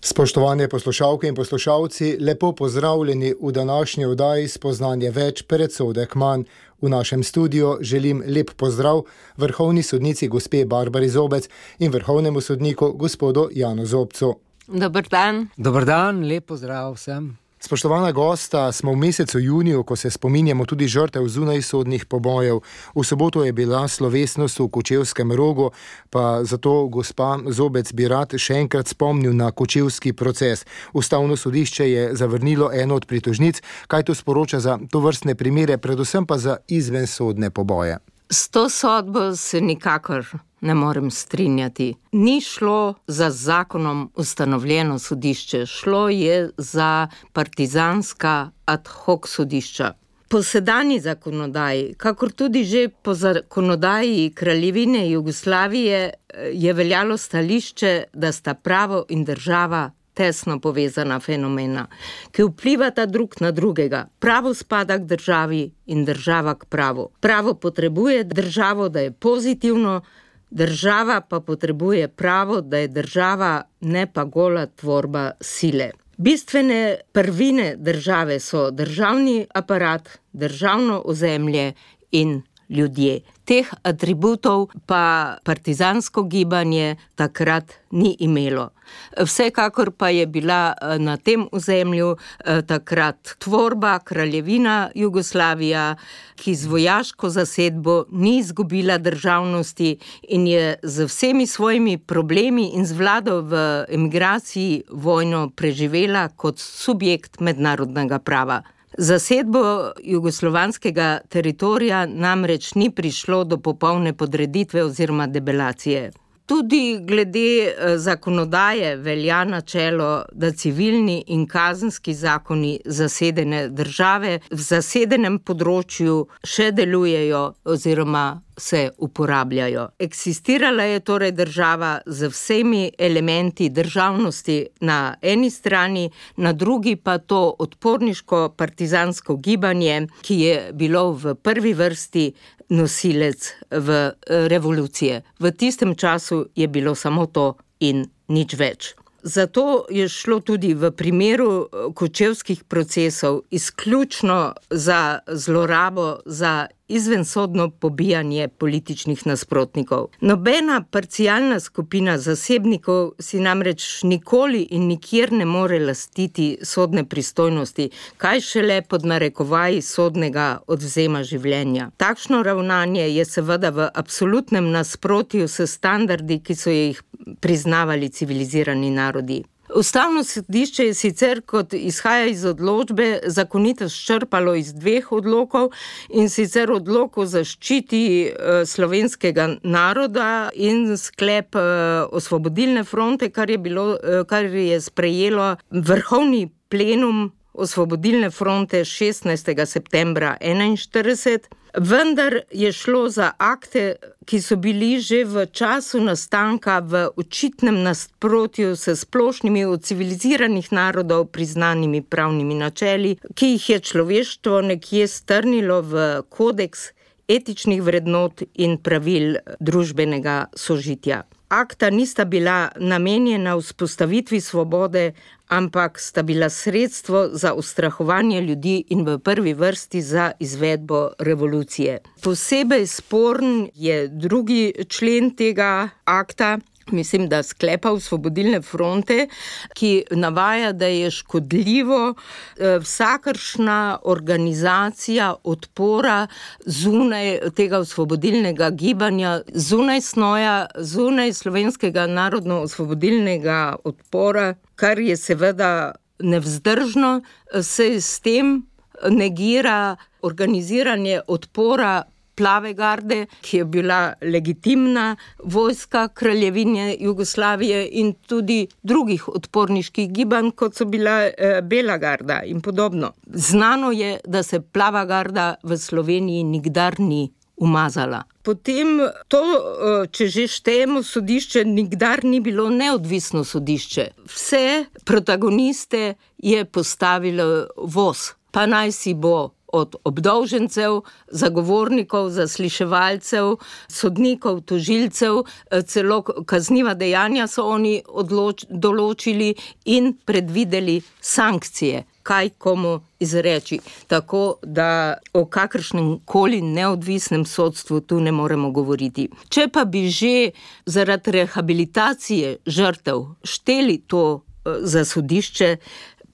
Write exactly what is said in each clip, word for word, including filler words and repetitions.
Spoštovane poslušalke in poslušalci, lepo pozdravljeni v današnji oddaji Spoznanje več, predsodek manj. V našem studiu želim lep pozdrav vrhovni sodnici gospe Barbari Zobec in vrhovnemu sodniku gospodu Janu Zobcu. Dober dan. Dober dan, lep pozdrav vsem. Spoštovana gosta, smo v mesecu juniju, ko se spominjamo tudi žrtev zunajsodnih pobojev. V soboto je bila slovesnost v Kočevskem Rogu, pa zato gospa Zobec bi rad še enkrat spomnil na kočevski proces. Ustavno sodišče je zavrnilo eno od pritožnic, kaj to sporoča za tovrstne primere, predvsem pa za izvensodne poboje. S to sodbo se nikakor ne morem strinjati. Ni šlo za zakonom ustanovljeno sodišče, šlo je za partizanska ad hoc sodišča. Po sedanji zakonodaji, kakor tudi že po zakonodaji Kraljevine Jugoslavije, je veljalo stališče, da sta pravo in država tesno povezana fenomena, ki vplivata drug na drugega. Pravo spada k državi in država k pravu. Pravo potrebuje državo, da je pozitivno, država pa potrebuje pravo, da je država, ne pa gola tvorba sile. Bistvene prvine države so državni aparat, državno ozemlje in ljudje. Teh atributov pa partizansko gibanje takrat ni imelo. Vsekakor pa je bila na tem ozemlju takrat tvorba Kraljevina Jugoslavija, ki z vojaško zasedbo ni izgubila državnosti in je z vsemi svojimi problemi in z vlado v emigraciji vojno preživela kot subjekt mednarodnega prava. Zasedbo jugoslovanskega teritorija namreč ni prišlo do popolne podreditve oziroma debelacije. Tudi glede zakonodaje velja načelo, da civilni in kazenski zakoni zasedene države v zasedenem področju še delujejo oziroma se uporabljajo. Eksistirala je torej država z vsemi elementi državnosti na eni strani, na drugi pa to odporniško partizansko gibanje, ki je bilo v prvi vrsti nosilec v revolucije. V tistem času je bilo samo to in nič več. Zato je šlo tudi v primeru kočevskih procesov izključno za zlorabo, za izvensodno pobijanje političnih nasprotnikov. Nobena parcialna skupina zasebnikov si namreč nikoli in nikjer ne more lastiti sodne pristojnosti, kaj šele pod narekovaji sodnega odvzema življenja. Takšno ravnanje je seveda v absolutnem nasprotju s standardi, ki so jih priznavali civilizirani narodi. Ustavno sodišče je sicer, kot izhaja iz odločbe, zakonitost črpalo iz dveh odlokov, in sicer odlok o zaščiti slovenskega naroda in sklep Osvobodilne fronte, kar je bilo, kar je sprejelo vrhovni plenum Osvobodilne fronte šestnajstega septembra enainštirideset. Vendar je šlo za akte, ki so bili že v času nastanka v očitnem nasprotju s splošnimi od civiliziranih narodov priznanimi pravnimi načeli, ki jih je človeštvo nekje strnilo v kodeks etičnih vrednot in pravil družbenega sožitja. Akta nista bila namenjena vzpostavitvi svobode, ampak sta bila sredstvo za ustrahovanje ljudi in v prvi vrsti za izvedbo revolucije. Posebej sporn je drugi člen tega akta, mislim, da sklepa Osvobodilne fronte, ki navaja, da je škodljivo vsakršna organizacija odpora zunaj tega osvobodilnega gibanja, zunaj snoja, zunaj slovenskega narodno-osvobodilnega odpora, kar je seveda nevzdržno, se s tem negira organiziranje odpora Plave garde, ki je bila legitimna vojska Kraljevine Jugoslavije, in tudi drugih odporniških gibanj, kot so bila eh, Bela garda in podobno. Znano je, da se Plava garda v Sloveniji nikdar ni umazala. Potem to, če že štejemo sodišče, nikdar ni bilo neodvisno sodišče. Vse protagoniste je postavilo voz, pa naj si bo od obdolžencev, zagovornikov, zasliševalcev, sodnikov, tožilcev, celo kazniva dejanja so oni odloč, določili in predvideli sankcije, kaj komu izreči. Tako da o kakršnem koli neodvisnem sodstvu tu ne moremo govoriti. Če pa bi že zaradi rehabilitacije žrtev šteli to za sodišče,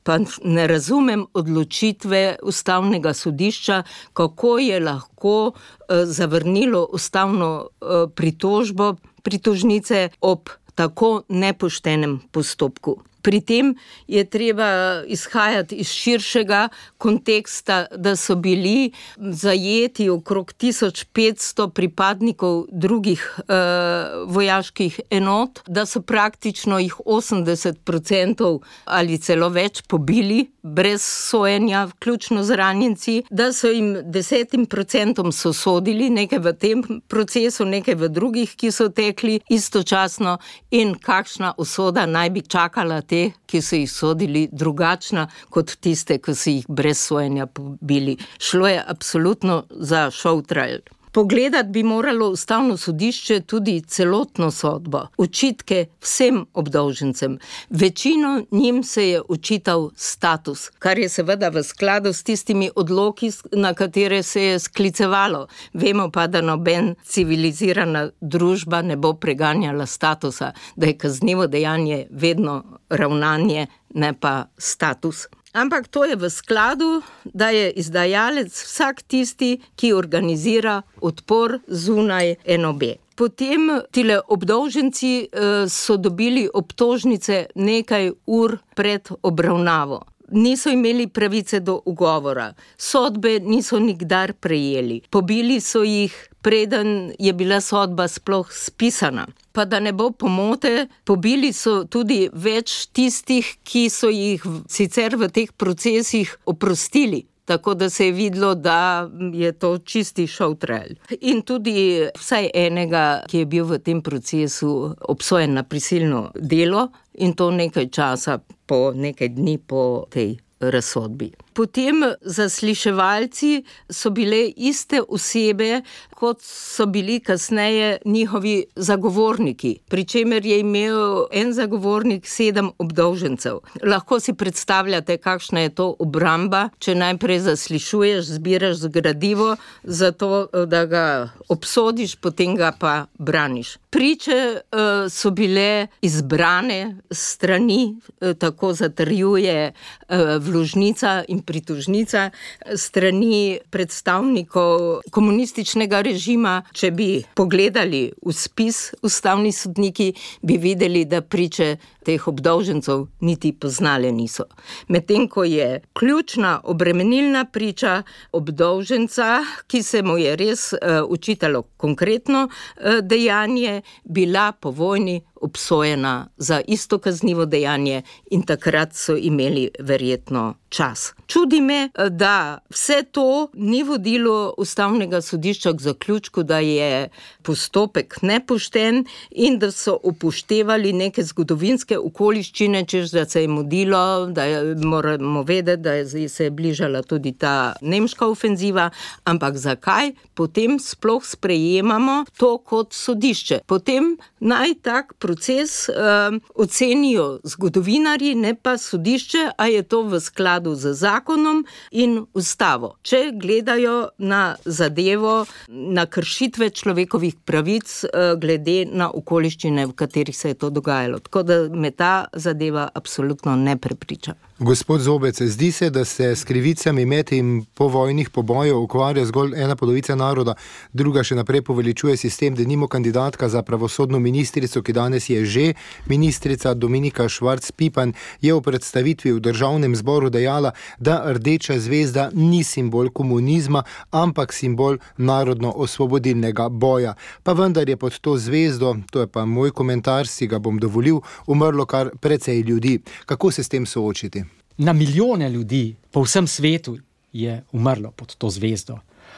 pa ne razumem odločitve Ustavnega sodišča, kako je lahko zavrnilo ustavno pritožbo pritožnice ob tako nepoštenem postopku. Pri tem je treba izhajati iz širšega konteksta, da so bili zajeti okrog tisoč petsto pripadnikov drugih eh, vojaških enot, da so praktično jih osemdeset procentov ali celo več pobili brez sojenja, vključno z ranjenci, da so jim desetim procentom sosodili nekaj v tem procesu, nekaj v drugih, ki so tekli istočasno, in kakšna usoda naj bi čakala te, ki so jih sodili, drugačna kot tiste, ki so jih brez sojenja pobili. Šlo je absolutno za show trial. Pogledati bi moralo Ustavno sodišče tudi celotno sodbo, očitke vsem obdolžencem. Večino njim se je očital status, kar je seveda v skladu s tistimi odloki, na katere se je sklicevalo. Vemo pa, da noben civilizirana družba ne bo preganjala statusa, da je kaznivo dejanje vedno ravnanje, ne pa status. Ampak to je v skladu, da je izdajalec vsak tisti, ki organizira odpor zunaj N O B. Potem tile obdolženci eh, so dobili obtožnice nekaj ur pred obravnavo. Niso imeli pravice do ugovora, sodbe niso nikdar prejeli, pobili so jih, preden je bila sodba sploh spisana. Pa da ne bo pomote, pobili so tudi več tistih, ki so jih sicer v teh procesih oprostili. Tako da se je videlo, da je to čisti show trial. In tudi vsaj enega, ki je bil v tem procesu obsojen na prisilno delo, in to nekaj časa po, nekaj dni po tej razsodbi. Potem zasliševalci so bile iste osebe, kot so bili kasneje njihovi zagovorniki, pri čemer je imel en zagovornik sedem obdolžencev. Lahko si predstavljate, kakšna je to obramba, če najprej zaslišuješ, zbiraš gradivo, zato da ga obsodiš, potem ga pa braniš. Priče uh, so bile izbrane strani, uh, tako zatrjuje uh, vložnica in pritožnica, strani predstavnikov komunističnega režima. Če bi pogledali v spis, ustavni sodniki bi videli, da priče teh obdolžencev niti poznale niso. Medtem ko je ključna obremenilna priča obdolženca, ki se mu je res uh, učitalo konkretno uh, dejanje, bila po vojni obsojena za isto kaznivo dejanje in takrat so imeli verjetno čas. Čudi me, da vse to ni vodilo Ustavnega sodišča k zaključku, da je postopek nepošten in da so upoštevali neke zgodovinske okoliščine, češ da se je mudilo, da je, moramo vedeti, da je, se je bližala tudi ta nemška ofenziva, ampak zakaj potem sploh sprejemamo to kot sodišče? Potem naj tak proces uh, ocenijo zgodovinarji, ne pa sodišče, a je to v skladu z zakonom in ustavo. Če gledajo na zadevo, na kršitve človekovih pravic uh, glede na okoliščine, v katerih se je to dogajalo. Tako da me ta zadeva absolutno ne prepriča. Gospod Zobec, zdi se, da se s krivicami med in povojnih pobojev ukvarja zgolj ena polovica naroda, druga še naprej poveličuje sistem, denimo kandidatka za pravosodno ministrico, ki danes je že ministrica, Dominika Švarc Pipan, je v predstavitvi v Državnem zboru dejala, da rdeča zvezda ni simbol komunizma, ampak simbol narodno-osvobodilnega boja. Pa vendar je pod to zvezdo, to je pa moj komentar, si ga bom dovolil, umrlo kar precej ljudi. Kako se s tem soočiti? Na milijone ljudi po vsem svetu je umrlo pod to zvezdo.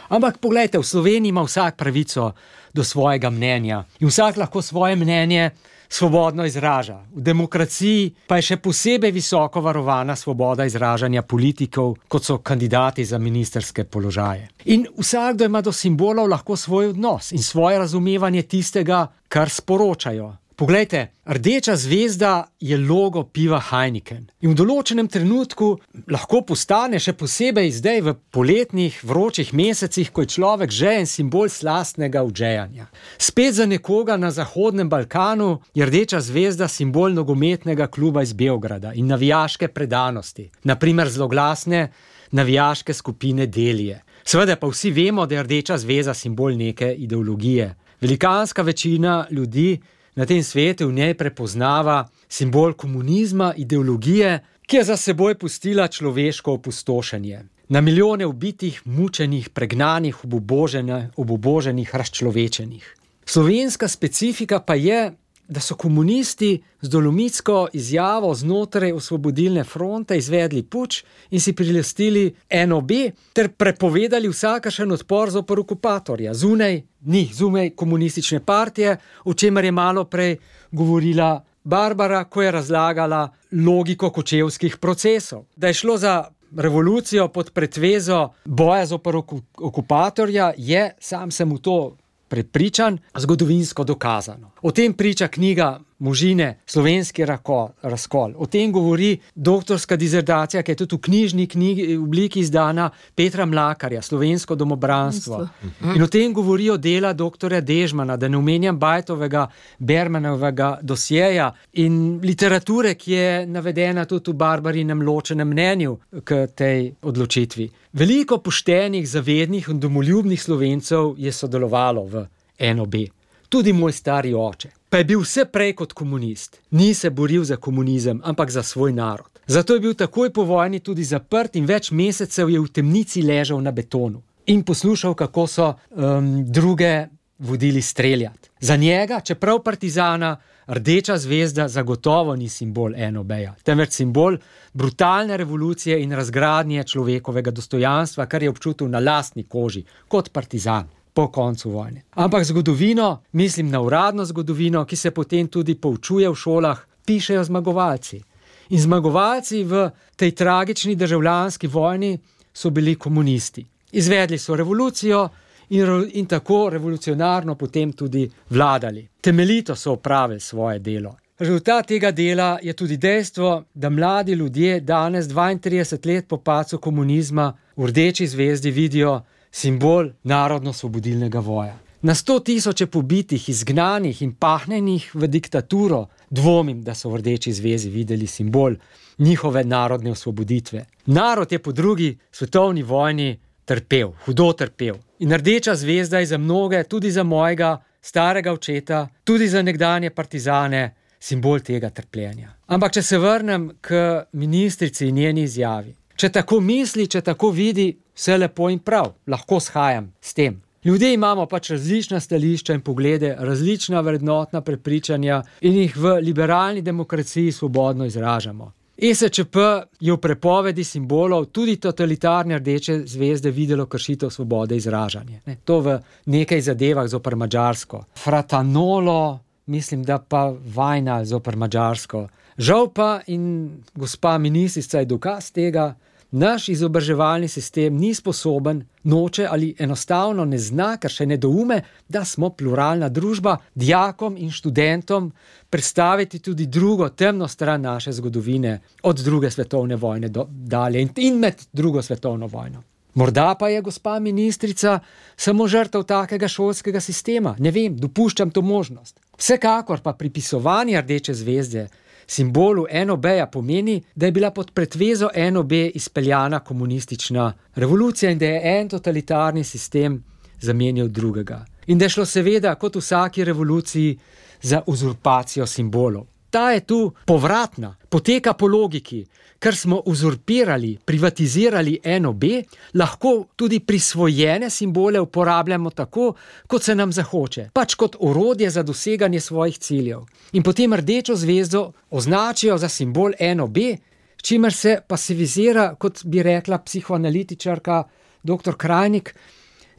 Ampak poglejte, v Sloveniji ima vsak pravico do svojega mnenja in vsak lahko svoje mnenje svobodno izraža. V demokraciji pa je še posebej visoko varovana svoboda izražanja politikov, kot so kandidati za ministrske položaje. In vsakdo ima do simbolov lahko svoj odnos in svoje razumevanje tistega, kar sporočajo. Poglejte, rdeča zvezda je logo piva Heineken in v določenem trenutku lahko postane, še posebej zdaj v poletnih vročih mesecih, ko je človek žejen, simbol slastnega udžejanja. Spet za nekoga na Zahodnem Balkanu je rdeča zvezda simbol nogometnega kluba iz Beograda in navijaške predanosti, na primer zloglasne navijaške skupine Delije. Seveda pa vsi vemo, da je rdeča zvezda simbol neke ideologije. Velikanska večina ljudi na tem svetu v njej prepoznava simbol komunizma, ideologije, ki je za seboj pustila človeško opustošenje. Na milijone ubitih, mučenih, pregnanih, obuboženih, obuboženih, razčlovečenih. Slovenska specifika pa je, da so komunisti z dolomitsko izjavo znotraj Osvobodilne fronte izvedli puč in si prilastili N O B ter prepovedali vsakašen odpor zoper okupatorja. Zunaj, ni, zunaj komunistične partije, o čemer je malo prej govorila Barbara, ko je razlagala logiko kočevskih procesov. Da je šlo za revolucijo pod pretvezo boja zoper okupatorja, je, sam sem v to prepričan, zgodovinsko dokazano. O tem priča knjiga Možine, slovenski razkol. O tem govori doktorska dizertacija, ki je tudi v knjižni knjigi v obliki izdana, Petra Mlakarja, Slovensko domobranstvo. In o tem govorijo dela doktorja Dežmana, da ne omenjam Bajtovega, Bermanovega dosjeja in literature, ki je navedena tudi v Barbarinem ločenem mnenju k tej odločitvi. Veliko poštenih, zavednih in domoljubnih Slovencev je sodelovalo v N O B. Tudi moj stari oče. Pa je bil vse prej kot komunist. Ni se boril za komunizem, ampak za svoj narod. Zato je bil takoj po vojni tudi zaprt in več mesecev je v temnici ležal na betonu in poslušal, kako so um, druge vodili streljati. Za njega, čeprav partizana, rdeča zvezda zagotovo ni simbol N O B-ja, temveč simbol brutalne revolucije in razgradnje človekovega dostojanstva, kar je občutil na lastni koži, kot partizan po koncu vojne. Ampak zgodovino, mislim na uradno zgodovino, ki se potem tudi poučuje v šolah, pišejo zmagovalci. In zmagovalci v tej tragični državljanski vojni so bili komunisti. Izvedli so revolucijo in, in tako revolucionarno potem tudi vladali. Temeljito so opravili svoje delo. Rezultat tega dela je tudi dejstvo, da mladi ljudje danes dvaintrideset let po padcu komunizma v rdeči zvezdi vidijo simbol narodno-osvobodilnega boja. Na sto tisoče pobitih, izgnanih in pahnenih v diktaturo dvomim, da so v rdeči zvezi videli simbol njihove narodne osvoboditve. Narod je po drugi svetovni vojni trpel, hudo trpel. In rdeča zvezda je za mnoge, tudi za mojega starega očeta, tudi za nekdanje partizane, simbol tega trpljenja. Ampak če se vrnem k ministrici in njeni izjavi. Če tako misli, če tako vidi, vse lepo in prav, lahko shajam s tem. Ljudje imamo pač različna stališča in poglede, različna vrednotna prepričanja in jih v liberalni demokraciji svobodno izražamo. E S Č P je v prepovedi simbolov tudi totalitarne rdeče zvezde videlo kršitev svobode izražanja. Ne, to v nekaj zadevah zoper Madžarsko. Fratanolo, mislim, da pa Vajnal zoper Madžarsko. Žal pa, in gospa ministrica je dokaz tega, naš izobraževalni sistem ni sposoben, noče ali enostavno ne zna, ker še ne doume, da smo pluralna družba, dijakom in študentom predstaviti tudi drugo temno stran naše zgodovine od druge svetovne vojne do, dalje in med drugo svetovno vojno. Morda pa je gospa ministrica samo žrtev takega šolskega sistema. Ne vem, dopuščam to možnost. Vsekakor pa pripisovanje rdeče zvezde simbolu N O B-ja pomeni, da je bila pod pretvezo N O B izpeljana komunistična revolucija in da je en totalitarni sistem zamenjal drugega. In da je šlo seveda, kot v vsaki revoluciji, za uzurpacijo simbolov. Ta je tu povratna, poteka po logiki, ker smo uzurpirali, privatizirali N O B, lahko tudi prisvojene simbole uporabljamo tako, kot se nam zahoče, pač kot orodje za doseganje svojih ciljev. In potem rdečo zvezdo označijo za simbol N O B, s čimer se pasivizira, kot bi rekla psihoanalitičarka doktor Krajnik,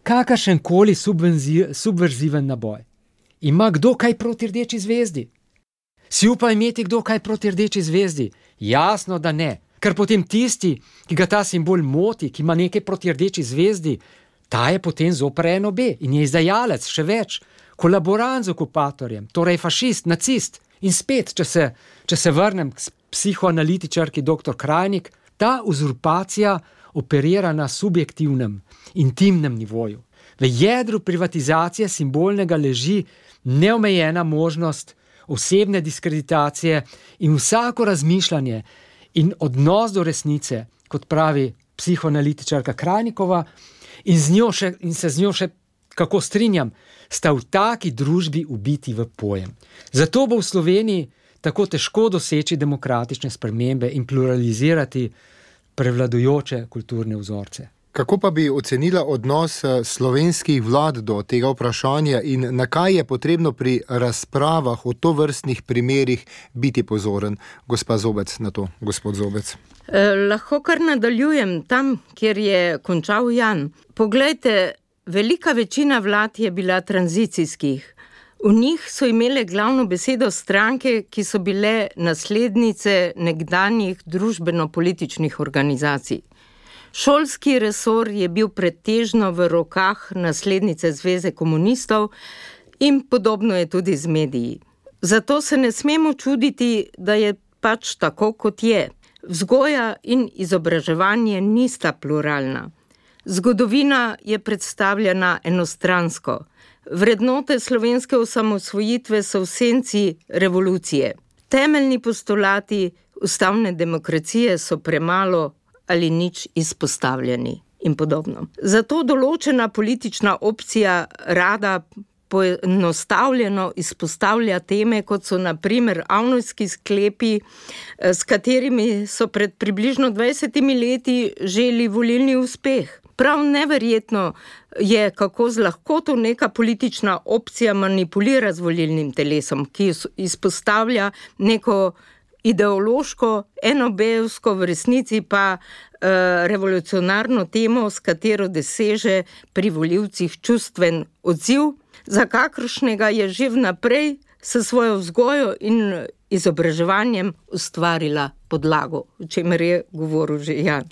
kakršenkoli subverziven naboj. Ima kdo kaj proti rdeči zvezdi? Si upa imeti kdo kaj proti rdeči zvezdi? Jasno, da ne. Ker potem tisti, ki ga ta simbol moti, ki ima nekaj proti rdeči zvezdi, ta je potem zoper en obe in je izdajalec, še več, kolaborant z okupatorjem, torej fašist, nacist. In spet, če se, če se vrnem k psihoanalitičarki doktor Krajnik, ta uzurpacija operira na subjektivnem, intimnem nivoju. V jedru privatizacije simbolnega leži neomejena možnost osebne diskreditacije in vsako razmišljanje in odnos do resnice, kot pravi psihoanalitičarka Krajnikova, in, z njo še, in se z njo še kako strinjam, sta v taki družbi ubiti v pojem. Zato bo v Sloveniji tako težko doseči demokratične spremembe in pluralizirati prevladujoče kulturne vzorce. Kako pa bi ocenila odnos slovenskih vlad do tega vprašanja in na kaj je potrebno pri razpravah o tovrstnih primerih biti pozoren? Gospa Zobec na to, gospod Zobec. Eh, lahko kar nadaljujem tam, kjer je končal Jan. Poglejte, velika večina vlad je bila tranzicijskih. V njih so imele glavno besedo stranke, ki so bile naslednice nekdanjih družbeno-političnih organizacij. Šolski resor je bil pretežno v rokah naslednice Zveze komunistov in podobno je tudi z mediji. Zato se ne smemo čuditi, da je pač tako, kot je. Vzgoja in izobraževanje nista pluralna. Zgodovina je predstavljena enostransko. Vrednote slovenske osamosvojitve so v senci revolucije. Temeljni postulati ustavne demokracije so premalo ali nič izpostavljeni in podobno. Zato določena politična opcija rada poenostavljeno izpostavlja teme, kot so na primer avnojski sklepi, s katerimi so pred približno dvajsetimi leti želi volilni uspeh. Prav neverjetno je, kako z lahkoto neka politična opcija manipulira z volilnim telesom, ki izpostavlja neko ideološko, enobejevsko, v resnici pa e, revolucionarno temo, s katero doseže pri volivcih čustven odziv, za kakršnega je že vnaprej s svojo vzgojo in izobraževanjem ustvarila podlago, o čemer je govoril že Jan.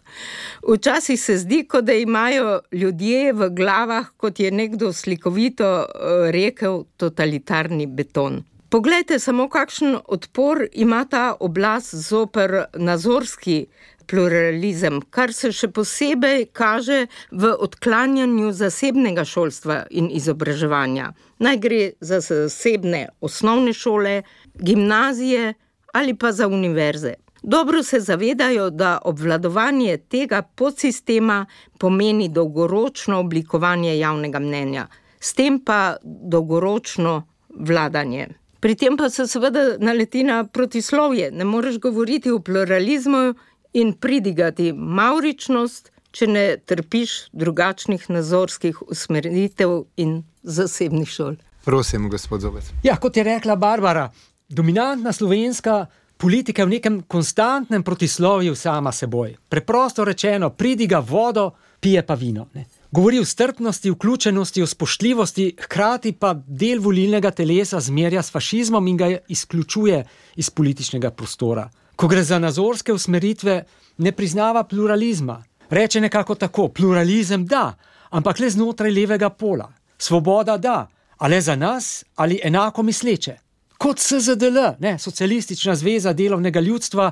Včasih se zdi, kot da imajo ljudje v glavah, kot je nekdo slikovito rekel, totalitarni beton. Poglejte samo, kakšen odpor ima ta oblast zoper nazorski pluralizem, kar se še posebej kaže v odklanjanju zasebnega šolstva in izobraževanja. Naj gre za zasebne osnovne šole, gimnazije ali pa za univerze. Dobro se zavedajo, da obvladovanje tega podsistema pomeni dolgoročno oblikovanje javnega mnenja, s tem pa dolgoročno vladanje. Pri tem pa se seveda naleti na protislovje. Ne moreš govoriti o pluralizmu in pridigati mavričnost, če ne trpiš drugačnih nazorskih usmeritev in zasebnih šol. Prosim, gospod Zobec. Ja, kot je rekla Barbara, dominantna slovenska politika je v nekem konstantnem protislovju sama seboj. Preprosto rečeno, pridiga vodo, pije pa vino. Ne? Govori o strpnosti, vključenosti, o spoštljivosti, hkrati pa del volilnega telesa zmerja s fašizmom in ga izključuje iz političnega prostora. Ko gre za nazorske usmeritve, ne priznava pluralizma. Reče nekako tako, pluralizem da, ampak le znotraj levega pola. Svoboda da, a le za nas ali enako misleče. Kot S Z D L, ne, Socialistična zveza delovnega ljudstva,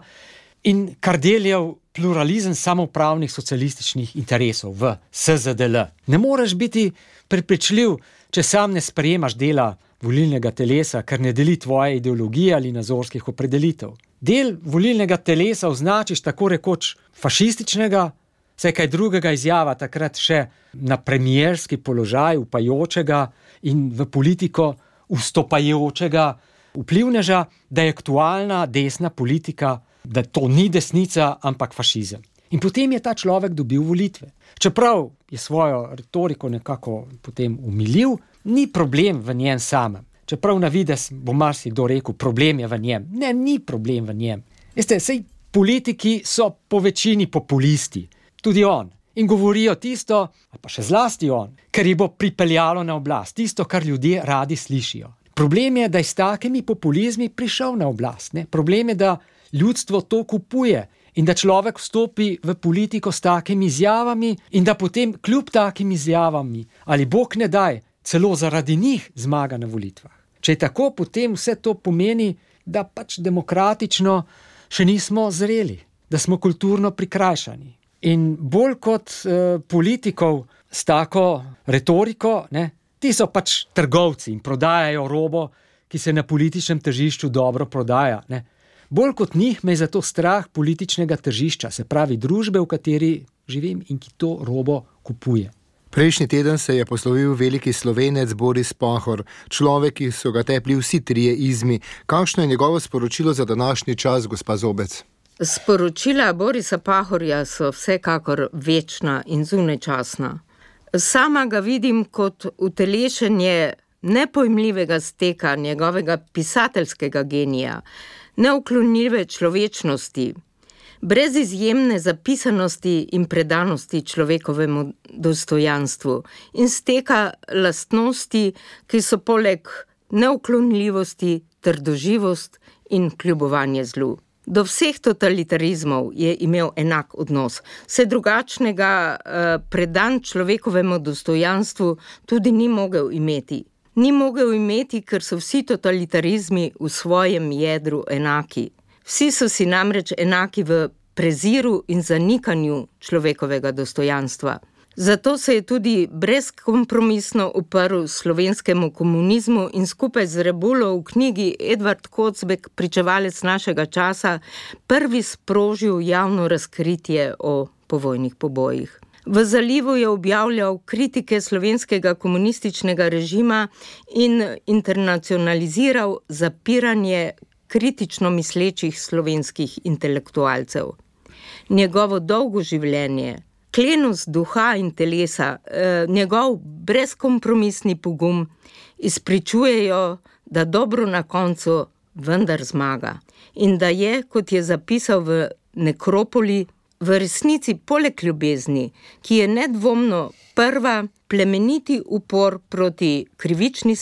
in Kardeljev pluralizem samoupravnih socialističnih interesov v S Z D L. Ne moreš biti prepričljiv, če sam ne sprejemaš dela volilnega telesa, ker ne deli tvoje ideologije ali nazorskih opredelitev. Del volilnega telesa označiš tako rekoč fašističnega, saj kaj drugega izjava takrat še na premierski položaj upajočega in v politiko vstopajočega vplivneža, da je aktualna desna politika, da to ni desnica, ampak fašizem. In potem je ta človek dobil volitve. Čeprav je svojo retoriko nekako potem umilil, ni problem v njem samem. Čeprav na vides bo marsikdo rekel, problem je v njem. Ne, ni problem v njem. Veste, sej politiki so po večini populisti. Tudi on. In govorijo tisto, pa še zlasti on, ker jih bo pripeljalo na oblast. Tisto, kar ljudje radi slišijo. Problem je, da je s takimi populizmi prišel na oblast. Ne? Problem je, da ljudstvo to kupuje in da človek vstopi v politiko s takimi izjavami in da potem kljub takim izjavami ali bog ne daj, celo zaradi njih zmaga na volitvah. Če je tako, potem vse to pomeni, da pač demokratično še nismo zreli, da smo kulturno prikrajšani. In bolj kot eh, politikov s tako retoriko, ne, ti so pač trgovci in prodajajo robo, ki se na političnem tržišču dobro prodaja. Ne. Bolj kot njih me je zato strah političnega tržišča, se pravi družbe, v kateri živim in ki to robo kupuje. Prejšnji teden se je poslovil veliki Slovenec Boris Pahor, človek, ki so ga tepli vsi trije izmi. Kakšno je njegovo sporočilo za današnji čas, gospa Zobec? Sporočila Borisa Pahorja so vsekakor večna in zunajčasna. Sama ga vidim kot utelešenje nepojmljivega steka njegovega pisateljskega genija, neuklonljive človečnosti, brez izjemne zapisanosti in predanosti človekovemu dostojanstvu in steka lastnosti, ki so poleg neuklonljivosti trdoživost in kljubovanje zlu. Do vseh totalitarizmov je imel enak odnos, se drugačnega eh, predan človekovemu dostojanstvu tudi ni mogel imeti. Ni mogel imeti, ker so vsi totalitarizmi v svojem jedru enaki. Vsi so si namreč enaki v preziru in zanikanju človekovega dostojanstva. Zato se je tudi brezkompromisno uprl slovenskemu komunizmu in skupaj z Rebulo v knjigi Edvard Kocbek, pričevalec našega časa, prvi sprožil javno razkritje o povojnih pobojih. V Zalivu je objavljal kritike slovenskega komunističnega režima in internacionaliziral zapiranje kritično mislečih slovenskih intelektualcev. Njegovo dolgo življenje, klenost duha in telesa, eh, njegov brezkompromisni pogum izpričujejo, da dobro na koncu vendar zmaga. In da je, kot je zapisal v Nekropoli, v resnici poleg ljubezni, ki je nedvomno prva, plemeniti upor proti krivični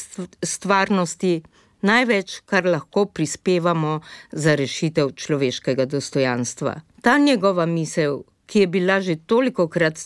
stvarnosti, največ, kar lahko prispevamo za rešitev človeškega dostojanstva. Ta njegova misel, ki je bila že tolikokrat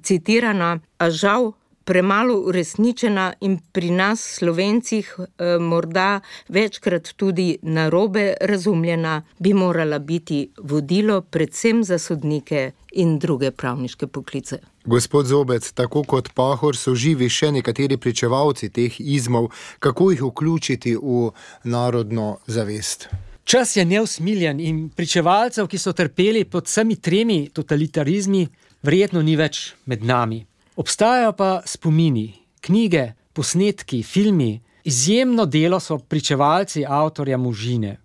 citirana, a žal premalo uresničena in pri nas Slovencih eh, morda večkrat tudi narobe razumljena, bi morala biti vodilo predvsem za sodnike in druge pravniške poklice. Gospod Zobec, tako kot Pahor so živi še nekateri pričevalci teh izmov, kako jih vključiti v narodno zavest? Čas je neusmiljen in pričevalcev, ki so trpeli pod vsemi tremi totalitarizmi, verjetno ni več med nami. Obstajajo pa spomini, knjige, posnetki, filmi. Izjemno delo so pričevalci avtorja Možine,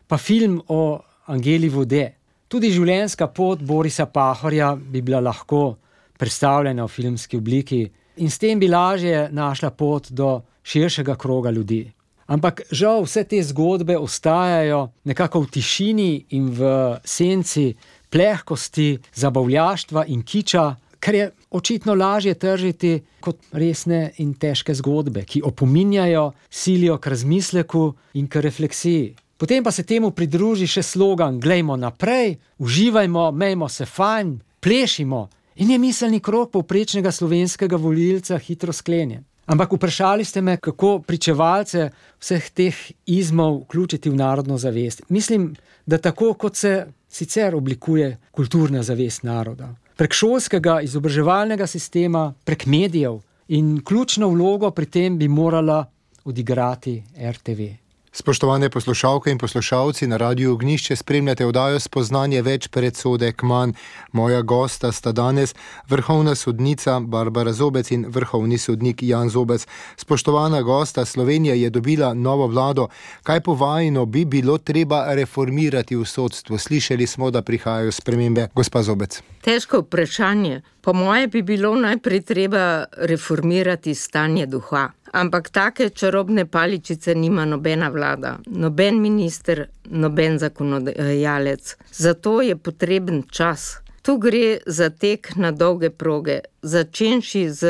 pa film o Angeli Vode. Tudi življenjska pot Borisa Pahorja bi bila lahko predstavljena v filmski obliki in s tem bi lažje našla pot do širšega kroga ljudi. Ampak žal vse te zgodbe ostajajo nekako v tišini in v senci plehkosti, zabavljaštva in kiča, ker je očitno lažje tržiti kot resne in težke zgodbe, ki opominjajo, silijo k razmisleku in k refleksiji. Potem pa se temu pridruži še slogan glejmo naprej, uživajmo, mejmo se fajn, plešimo in je miselni krog povprečnega slovenskega volilca hitro sklenjen. Ampak vprašali ste me, kako pričevalce vseh teh izmov vključiti v narodno zavest. Mislim, da tako, kot se sicer oblikuje kulturna zavest naroda. Prek šolskega izobraževalnega sistema, prek medijev in ključno vlogo pri tem bi morala odigrati er te ve. Spoštovane poslušalke in poslušalci, na Radiu Ognjišče spremljate oddajo Spoznanje več predsodek manj. Moja gosta sta danes vrhovna sodnica Barbara Zobec in vrhovni sodnik Jan Zobec. Spoštovana gosta, Slovenija je dobila novo vlado. Kaj po vajino bi bilo treba reformirati v sodstvu? Slišali smo, da prihajajo spremembe. Gospa Zobec. Težko vprašanje. Po moje bi bilo najprej treba reformirati stanje duha. Ampak take čarobne paličice nima nobena vlada, noben minister, noben zakonodajalec. Zato je potreben čas. Tu gre za tek na dolge proge, začenši z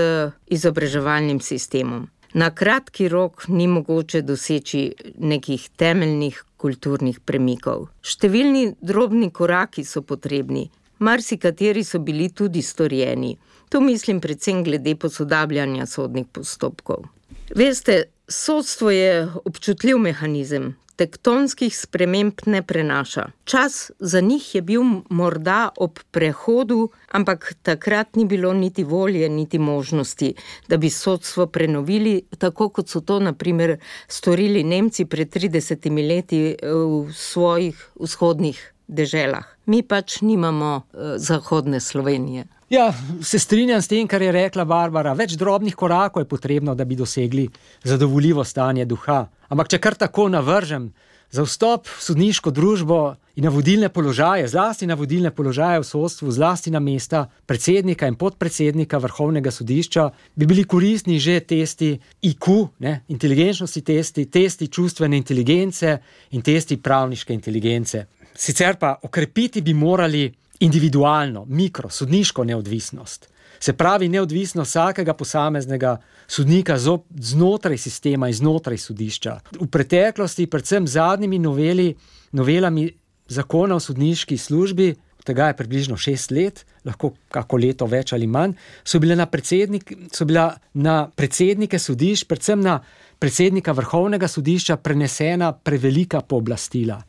izobraževalnim sistemom. Na kratki rok ni mogoče doseči nekih temeljnih kulturnih premikov. Številni drobni koraki so potrebni, marsikateri so bili tudi storjeni. Tu mislim predvsem glede posodabljanja sodnih postopkov. Veste, sodstvo je občutljiv mehanizem, tektonskih sprememb ne prenaša. Čas za njih je bil morda ob prehodu, ampak takrat ni bilo niti volje, niti možnosti, da bi sodstvo prenovili, tako kot so to na primer storili Nemci pred tridesetimi leti v svojih vzhodnih deželah. Mi pač nimamo uh, zahodne Slovenije. Ja, se strinjam s tem, kar je rekla Barbara. Več drobnih korakov je potrebno, da bi dosegli zadovoljivo stanje duha. Ampak če kar tako navržem, za vstop v sodniško družbo in na vodilne položaje, zlasti na vodilne položaje v sodstvu, zlasti na mesta predsednika in podpredsednika Vrhovnega sodišča, bi bili koristni že testi I Q, ne, inteligenčnosti testi, testi čustvene inteligence in testi pravniške inteligence. Sicer pa okrepiti bi morali individualno, mikro, sodniško neodvisnost. Se pravi neodvisnost vsakega posameznega sodnika znotraj sistema in znotraj sodišča. V preteklosti, predvsem zadnjimi noveli, novelami zakona o sodniški službi, tega je približno šest let, lahko kako leto več ali manj, so bile na, predsednik, so bila na predsednike sodišč, predvsem na predsednika Vrhovnega sodišča prenesena prevelika pooblastila.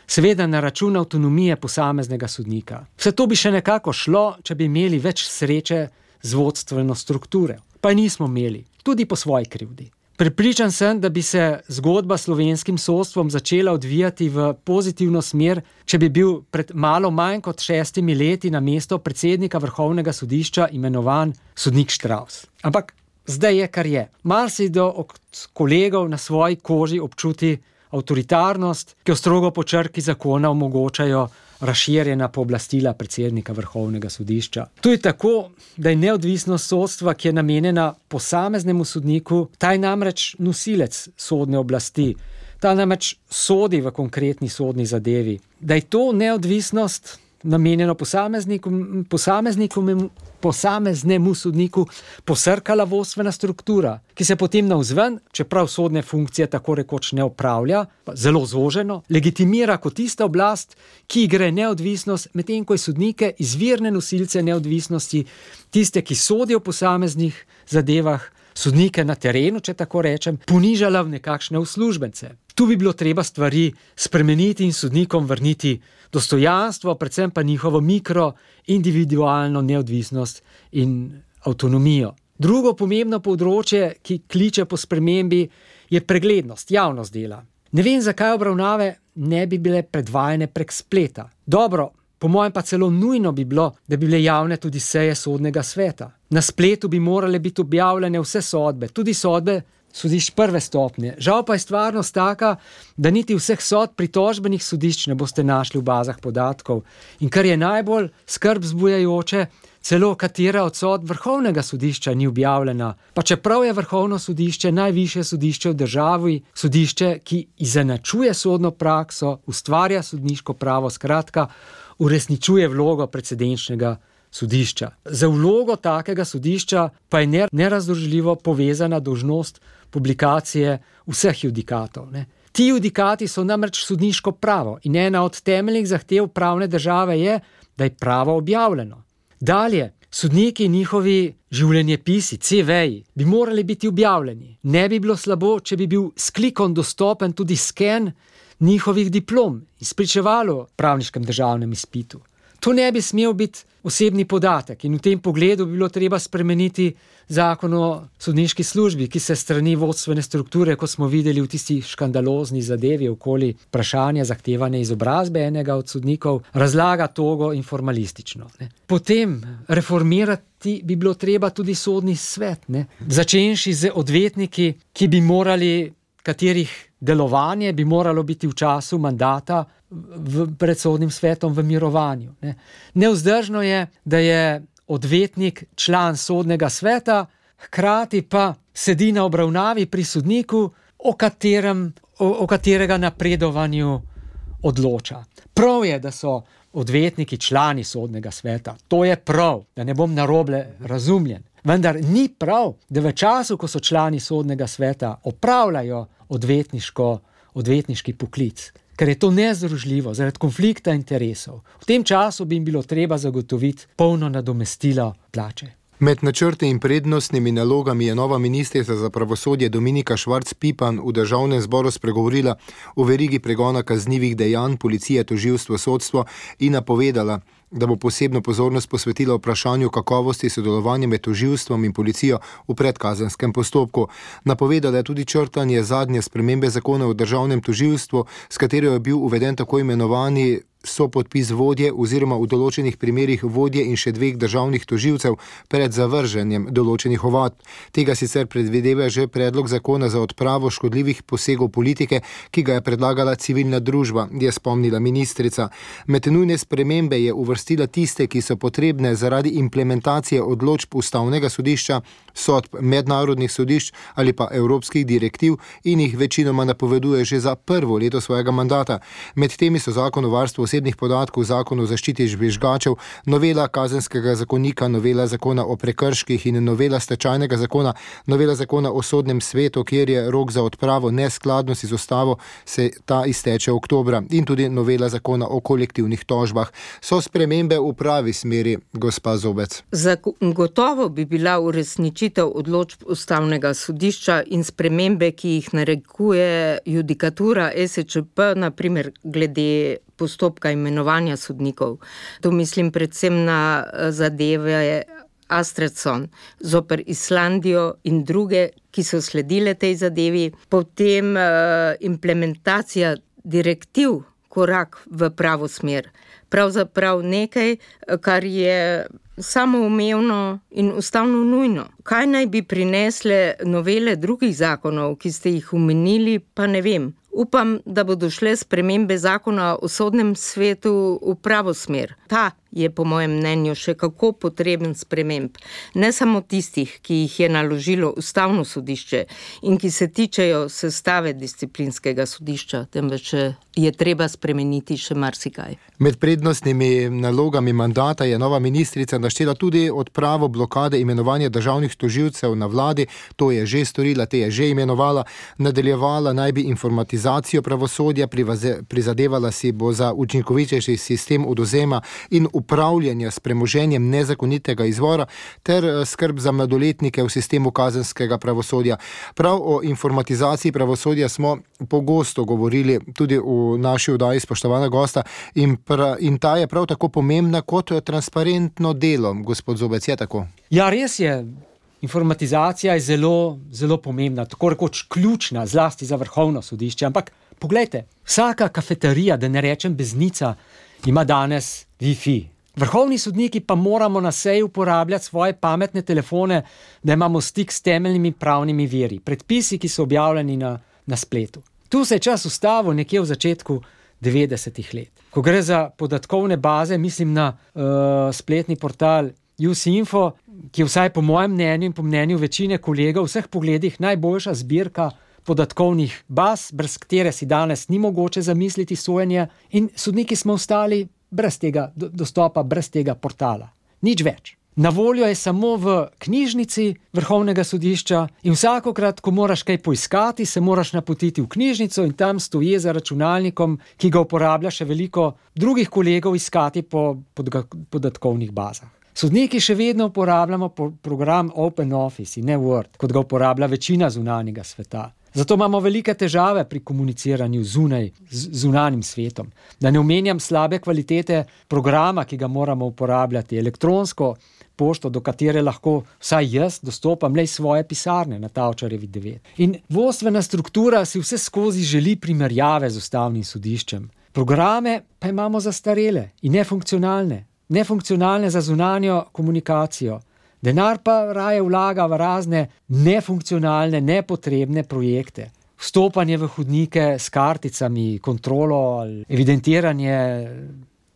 Seveda na račun avtonomije posameznega sodnika. Vse to bi še nekako šlo, če bi imeli več sreče z vodstveno strukturo. Pa nismo imeli, tudi po svoji krivdi. Prepričan sem, da bi se zgodba s slovenskim sodstvom začela odvijati v pozitivno smer, če bi bil pred malo manj kot šestimi leti na mesto predsednika Vrhovnega sodišča imenovan sodnik Štravs. Ampak zdaj je, kar je. Marsikdo od kolegov na svoji koži občuti avtoritarnost, ki jo strogo po črki zakona omogočajo razširjena pooblastila predsednika Vrhovnega sodišča. To je tako, da je neodvisnost sodstva, ki je namenjena posameznemu sodniku, ta je namreč nosilec sodne oblasti, ta namreč sodi v konkretni sodni zadevi. Da je to neodvisnost namenjeno posamezniku, posamezniku, posameznemu sodniku posrkala vodstvena struktura, ki se potem navzven, čeprav sodne funkcije tako rekoč ne opravlja, zelo zoženo, legitimira kot tista oblast, ki gre neodvisnost, medtem ko je sodnike, izvirne nosilce neodvisnosti, tiste, ki sodijo v posameznih zadevah, sodnike na terenu, če tako rečem, ponižala v nekakšne uslužbence. Tu bi bilo treba stvari spremeniti in sodnikom vrniti dostojanstvo, predvsem pa njihovo mikro, individualno neodvisnost in avtonomijo. Drugo pomembno področje, ki kliče po spremembi, je preglednost, javnost dela. Ne vem, zakaj obravnave ne bi bile predvajane prek spleta. Dobro, po mojem pa celo nujno bi bilo, da bi bile javne tudi seje sodnega sveta. Na spletu bi morale biti objavljene vse sodbe, tudi sodbe sodišč prve stopnje. Žal pa je stvarnost taka, da niti vseh sodb pritožbenih sodišč ne boste našli v bazah podatkov. In kar je najbolj skrb vzbujajoče, celo katera od sodb Vrhovnega sodišča ni objavljena. Pa čeprav je Vrhovno sodišče najvišje sodišče v državi, sodišče, ki izenačuje sodno prakso, ustvarja sodniško pravo, skratka, uresničuje vlogo precedenčnega sodišča. Za vlogo takega sodišča pa je nerazdružljivo povezana dolžnost publikacije vseh judikatov. Ne. Ti judikati so namreč sodniško pravo in ena od temeljnih zahtev pravne države je, da je pravo objavljeno. Dalje, sodniki in njihovi življenjepisi, ce veji, bi morali biti objavljeni. Ne bi bilo slabo, če bi bil s klikom dostopen tudi sken njihovih diplom in spričevalo v pravniškem državnem izpitu. To ne bi smel biti osebni podatek in v tem pogledu bi bilo treba spremeniti zakon o sodniški službi, ki se strani vodstvene strukture, ko smo videli v tisti škandalozni zadevi okoli vprašanja zahtevane izobrazbe enega od sodnikov, razlaga togo in formalistično. Ne. Potem reformirati bi bilo treba tudi sodni svet, ne. Začenši z odvetniki, ki bi morali, katerih delovanje bi moralo biti v času mandata v, pred sodnim svetom v mirovanju. Ne. Nevzdržno je, da je odvetnik član sodnega sveta, hkrati pa sedi na obravnavi pri sodniku, o, katerem, o, o katerega napredovanju odloča. Prav je, da so odvetniki člani sodnega sveta. To je prav, da ne bom narobe razumljen. Vendar ni prav, da v času, ko so člani sodnega sveta, opravljajo odvetniško, odvetniški poklic, ker je to nezdružljivo zaradi konflikta interesov. V tem času bi jim bilo treba zagotoviti polno nadomestilo plače. Med načrti in prednostnimi nalogami je nova ministrica za pravosodje Dominika Švarc Pipan v državnem zboru spregovorila o verigi pregona kaznivih dejanj policije, tožilstvo, sodstvo in napovedala, da bo posebno pozornost posvetila vprašanju kakovosti sodelovanja med tožilstvom in policijo v predkazenskem postopku. Napovedala je tudi črtanje zadnje spremembe zakona o državnem tožilstvu, s katero je bil uveden tako imenovani sopodpis vodje oziroma v določenih primerih vodje in še dveh državnih tožilcev pred zavrženjem določenih ovadb. Tega sicer predvideva že predlog zakona za odpravo škodljivih posegov politike, ki ga je predlagala civilna družba, je spomnila ministrica. Med nujne spremembe je uvrstila tiste, ki so potrebne zaradi implementacije odločb Ustavnega sodišča, sodb mednarodnih sodišč ali pa evropskih direktiv in jih večinoma napoveduje že za prvo leto svojega mandata. Med temi so zakon o varstvu osebnih podatkov, zakon o zaščiti žvižgačev, novela kazenskega zakonika, novela zakona o prekrških in novela stečajnega zakona, novela zakona o sodnem svetu, kjer je rok za odpravo neskladnosti z ustavo, se ta izteče oktobra, in tudi novela zakona o kolektivnih tožbah. So spremembe v pravi smeri, gospa Zobec? Zagotovo bi bila uresničitev odločb Ustavnega sodišča in spremembe, ki jih narekuje judikatura E S Č P, na primer glede postopka imenovanja sodnikov. Tu mislim predvsem na zadeve Astridson zoper Islandijo in druge, ki so sledile tej zadevi. Potem uh, implementacija direktiv korak v pravo smer. Pravzaprav nekaj, kar je samoumevno in ustavno nujno. Kaj naj bi prinesle novele drugih zakonov, ki ste jih omenili, pa ne vem. Upam, da bodo šle spremembe zakona o sodnem svetu v pravo smer. Ta je po mojem mnenju še kako potreben sprememb. Ne samo tistih, ki jih je naložilo Ustavno sodišče in ki se tičejo sestave disciplinskega sodišča, temveč je treba spremeniti še marsikaj. Med prednostnimi nalogami mandata je nova ministrica naštela tudi odpravo blokade imenovanja državnih tožilcev na vladi. To je že storila, te je že imenovala. Nadaljevala naj bi informatizacijo pravosodja, prizadevala si bo za učinkovitejši sistem odvzema in upravljanja s premoženjem nezakonitega izvora ter skrb za mladoletnike v sistemu kazenskega pravosodja. Prav o informatizaciji pravosodja smo pogosto govorili tudi v naši oddaji, spoštovana gosta, in, pra, in ta je prav tako pomembna kot transparentno delo. Gospod Zobec, je tako? Ja, res je. Informatizacija je zelo, zelo pomembna, tako rekoč ključna, zlasti za Vrhovno sodišče. Ampak poglejte, vsaka kafeterija, da ne rečem beznica, ima danes Wi-Fi. Vrhovni sodniki pa moramo na seji uporabljati svoje pametne telefone, da imamo stik s temeljnimi pravnimi viri, predpisi, ki so objavljeni na, na spletu. Tu se je čas ustavil nekje v začetku devetdesetih let. Ko gre za podatkovne baze, mislim na uh, spletni portal Usinfo, ki je vsaj po mojem mnenju in po mnenju večine kolegov v vseh pogledih najboljša zbirka podatkovnih baz, brez katere si danes ni mogoče zamisliti sojenje, in sodniki smo ostali brez tega dostopa, brez tega portala. Nič več. Na voljo je samo v knjižnici Vrhovnega sodišča in vsakokrat, ko moraš kaj poiskati, se moraš napotiti v knjižnico in tam stoji za računalnikom, ki ga uporablja še veliko drugih kolegov, iskati po podatkovnih bazah. Sodniki še vedno uporabljamo program OpenOffice in ne Word, kot ga uporablja večina zunanjega sveta. Zato imamo velike težave pri komuniciranju zunaj, z zunanjim svetom. Da ne omenjam slabe kvalitete programa, ki ga moramo uporabljati, elektronsko pošto, do katere lahko vsaj jaz dostopam le iz svoje pisarne na Tavčarjevi devet. In vodstvena struktura si vse skozi želi primerjave z Ustavnim sodiščem. Programe pa imamo zastarele in nefunkcionalne. Nefunkcionalne za zunanjo komunikacijo. Denar pa raje vlaga v razne nefunkcionalne, nepotrebne projekte. Vstopanje v hodnike s karticami, kontrolo, evidentiranje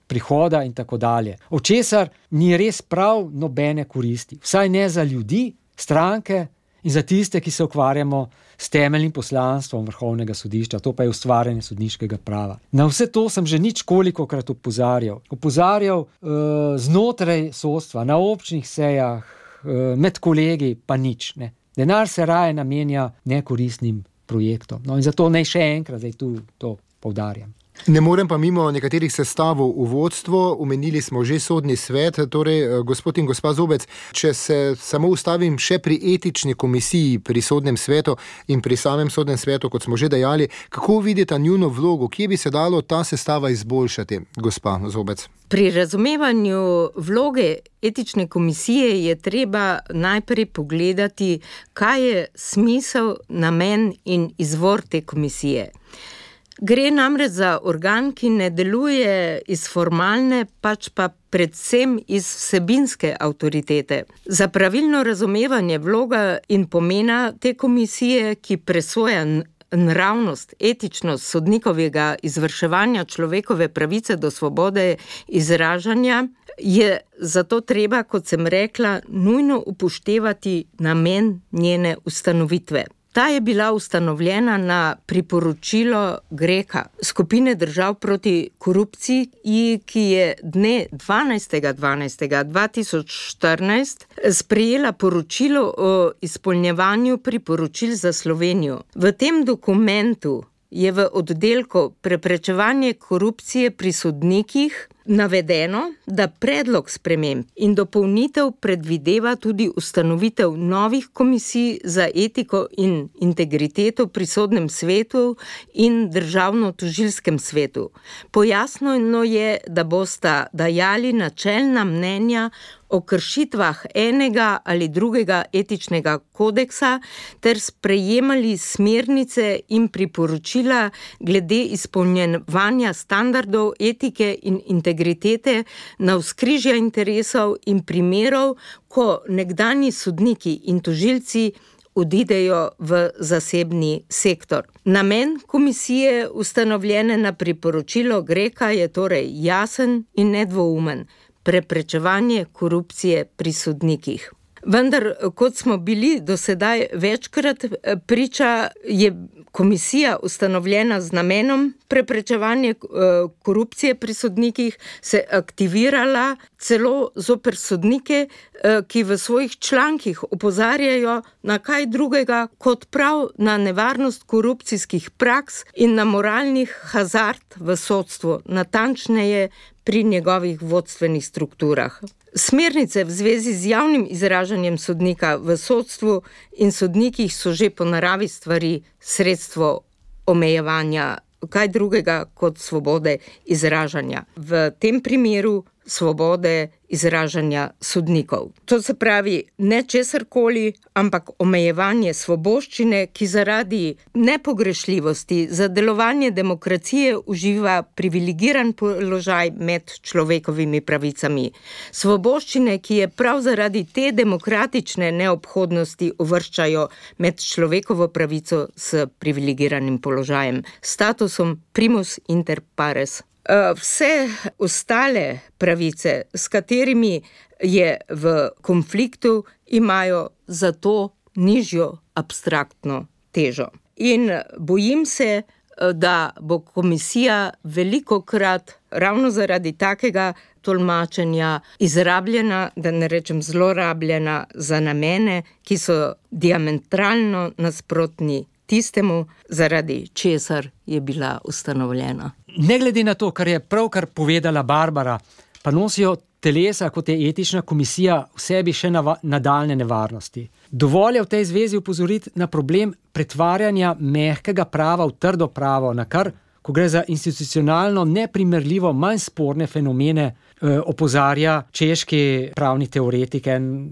prihoda in tako dalje. Od česar ni res prav nobene koristi. Vsaj ne za ljudi, stranke in za tiste, ki se ukvarjamo s temeljnim poslanstvom Vrhovnega sodišča, to pa je ustvarjanje sodniškega prava. Na vse to sem že nič kolikokrat opozarjal. Opozarjal uh, znotraj sodstva, na občnih sejah, med kolegi pa nič. Ne. Denar se raje namenja nekoristnim projektom. No in zato naj še enkrat zdaj tu to poudarjam. Ne morem pa mimo nekaterih sestavov v vodstvo, omenili smo že sodni svet, torej gospod in gospa Zobec, če se samo ustavim še pri etični komisiji, pri sodnem svetu in pri samem sodnem svetu, kot smo že dejali, kako vidite njuno vlogo, kje bi se dalo ta sestava izboljšati, gospa Zobec? Pri razumevanju vloge etične komisije je treba najprej pogledati, kaj je smisel, namen in izvor te komisije. Gre namreč za organ, ki ne deluje iz formalne, pač pa predvsem iz vsebinske avtoritete. Za pravilno razumevanje vloga in pomena te komisije, ki presoja nravnost, etičnost sodnikovega izvrševanja človekove pravice do svobode izražanja, je zato treba, kot sem rekla, nujno upoštevati namen njene ustanovitve. Ta je bila ustanovljena na priporočilo Greka, skupine držav proti korupciji, ki je dne dvanajstega dvanajstega dva tisoč štirinajst sprejela poročilo o izpolnjevanju priporočil za Slovenijo. V tem dokumentu je v oddelku preprečevanje korupcije pri sodnikih navedeno, da predlog sprememb in dopolnitev predvideva tudi ustanovitev novih komisij za etiko in integriteto pri sodnem svetu in državno-tožilskem svetu. Pojasnjeno je, da bosta dajali načelna mnenja o kršitvah enega ali drugega etičnega kodeksa ter sprejemali smernice in priporočila glede izpolnjevanja standardov etike in integritete na vzkrižja interesov in primerov, ko nekdanji sodniki in tožilci odidejo v zasebni sektor. Namen komisije, ustanovljene na priporočilo Greka, je torej jasen in nedvoumen: preprečevanje korupcije pri sodnikih. Vendar, kot smo bili do sedaj večkrat priča, je komisija ustanovljena z namenom preprečevanja korupcije pri sodnikih se aktivirala celo zoper sodnike, ki v svojih člankih opozarjajo na kaj drugega kot prav na nevarnost korupcijskih praks in na moralnih hazard v sodstvu, natančneje pri njegovih vodstvenih strukturah. Smernice v zvezi z javnim izražanjem sodnika v sodstvu in sodnikih so že po naravi stvari sredstvo omejevanja kaj drugega kot svobode izražanja. V tem primeru svobode izražanja sodnikov. To se pravi ne česarkoli, ampak omejevanje svoboščine, ki zaradi nepogrešljivosti za delovanje demokracije uživa privilegiran položaj med človekovimi pravicami. Svoboščine, ki je prav zaradi te demokratične neobhodnosti uvrščajo med človekovo pravico s privilegiranim položajem, statusom primus inter pares. Vse ostale pravice, s katerimi je v konfliktu, imajo zato nižjo abstraktno težo. In bojim se, da bo komisija velikokrat ravno zaradi takega tolmačenja izrabljena, da ne rečem zlorabljena za namene, ki so diametralno nasprotni tistemu, zaradi česar je bila ustanovljena. Ne glede na to, kar je pravkar povedala Barbara, pa nosijo telesa, kot je etična komisija, v sebi še nava- nadaljne nevarnosti. Dovolj je v tej zvezi upozoriti na problem pretvarjanja mehkega prava v trdo pravo, na kar, ko gre za institucionalno neprimerljivo manj sporne fenomene, eh, opozarja češki pravni teoretik, en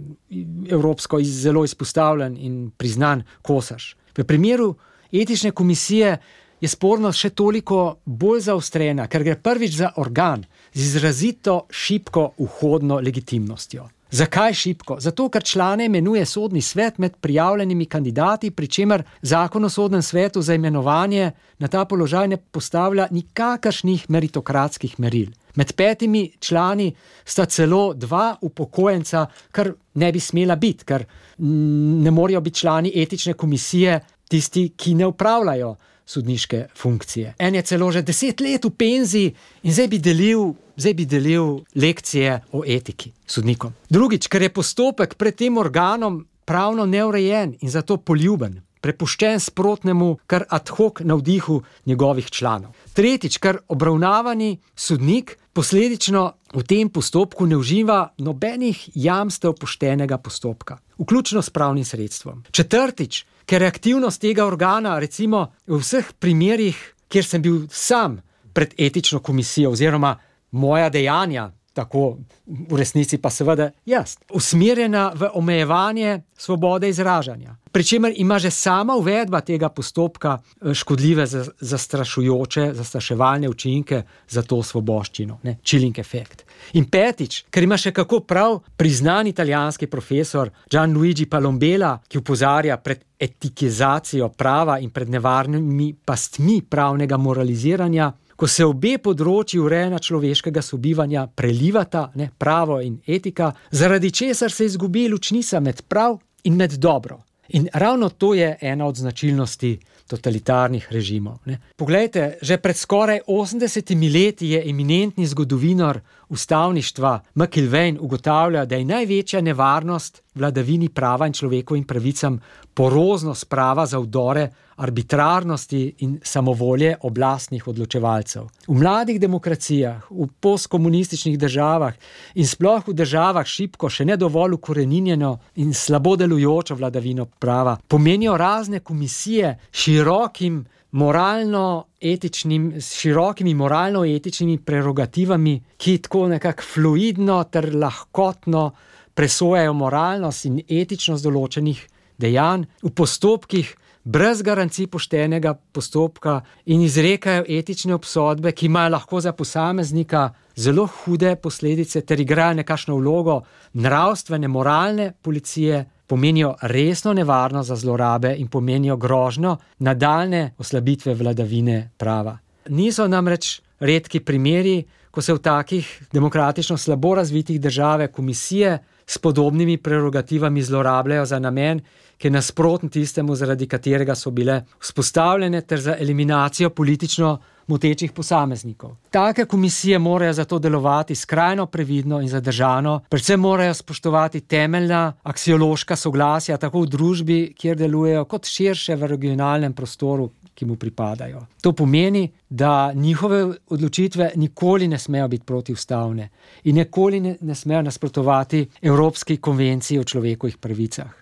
evropsko zelo izpostavljen in priznan Kosaš. V primeru etične komisije je spornost še toliko bolj zaostrena, ker gre prvič za organ z izrazito šibko vhodno legitimnostjo. Zakaj šibko? Zato, ker člane imenuje sodni svet med prijavljenimi kandidati, pri čemer zakon o sodnem svetu za imenovanje na ta položaj ne postavlja nikakršnih meritokratskih meril. Med petimi člani sta celo dva upokojenca, kar ne bi smela biti, ker ne morejo biti člani etične komisije tisti, ki ne upravljajo sodniške funkcije. En je celo že deset let v penziji in zdaj bi delil, zdaj bi delil lekcije o etiki sodnikom. Drugič, ker je postopek pred tem organom pravno neurejen in zato poljuben, prepuščen sprotnemu, kar ad hoc navdihu njegovih članov. Tretjič, ker obravnavani sodnik posledično v tem postopku ne uživa nobenih jamstev poštenega postopka, vključno s pravnim sredstvom. Četrtič, ker je aktivnost tega organa, recimo v vseh primerih, kjer sem bil sam pred etično komisijo oziroma moja dejanja, tako v resnici pa seveda jaz, usmerjena v omejevanje svobode izražanja. Pričemer ima že sama uvedba tega postopka škodljive, zastrašujoče, zastraševalne učinke za to svoboščino, ne, chilling efekt. In petič, ker ima še kako prav priznan italijanski profesor Gianluigi Palombela, ki opozarja pred etikizacijo prava in pred nevarnimi pastmi pravnega moraliziranja, ko se obe področji urejanja človeškega sobivanja prelivata, ne, pravo in etika, zaradi česar se izgubi ločnica med prav in med dobro. In ravno to je ena od značilnosti totalitarnih režimov. Ne. Poglejte, že pred skoraj osemdesetimi leti je eminentni zgodovinar ustavništva McIlvaine ugotavlja, da je največja nevarnost vladavini prava in človekovim pravicam poroznost prava za vdore arbitrarnosti in samovolje oblastnih odločevalcev. V mladih demokracijah, v postkomunističnih državah in sploh v državah šibko, še ne dovolj ukoreninjeno in slabo delujočo vladavino prava, pomenijo razne komisije širokim moralno-etičnim, s širokimi moralno-etičnimi prerogativami, ki tako nekako fluidno ter lahkotno presojajo moralnost in etičnost določenih dejanj v postopkih brez garancij poštenega postopka in izrekajo etične obsodbe, ki imajo lahko za posameznika zelo hude posledice ter igrajo nekakšno vlogo nravstvene, moralne policije, pomenijo resno nevarnost za zlorabe in pomenijo grožnjo nadaljne oslabitve vladavine prava. Niso namreč redki primeri, ko se v takih demokratično slabo razvitih države komisije s podobnimi prerogativami zlorabljajo za namen, ki je nasproten tistemu, zaradi katerega so bile vzpostavljene, ter za eliminacijo politično motečih posameznikov. Take komisije morajo zato delovati skrajno previdno in zadržano, predvsem morajo spoštovati temeljna aksiološka soglasja tako v družbi, kjer delujejo, kot širše v regionalnem prostoru, ki mu pripadajo. To pomeni, da njihove odločitve nikoli ne smejo biti protiustavne in nikoli ne, ne smejo nasprotovati Evropski konvenciji o človekovih pravicah.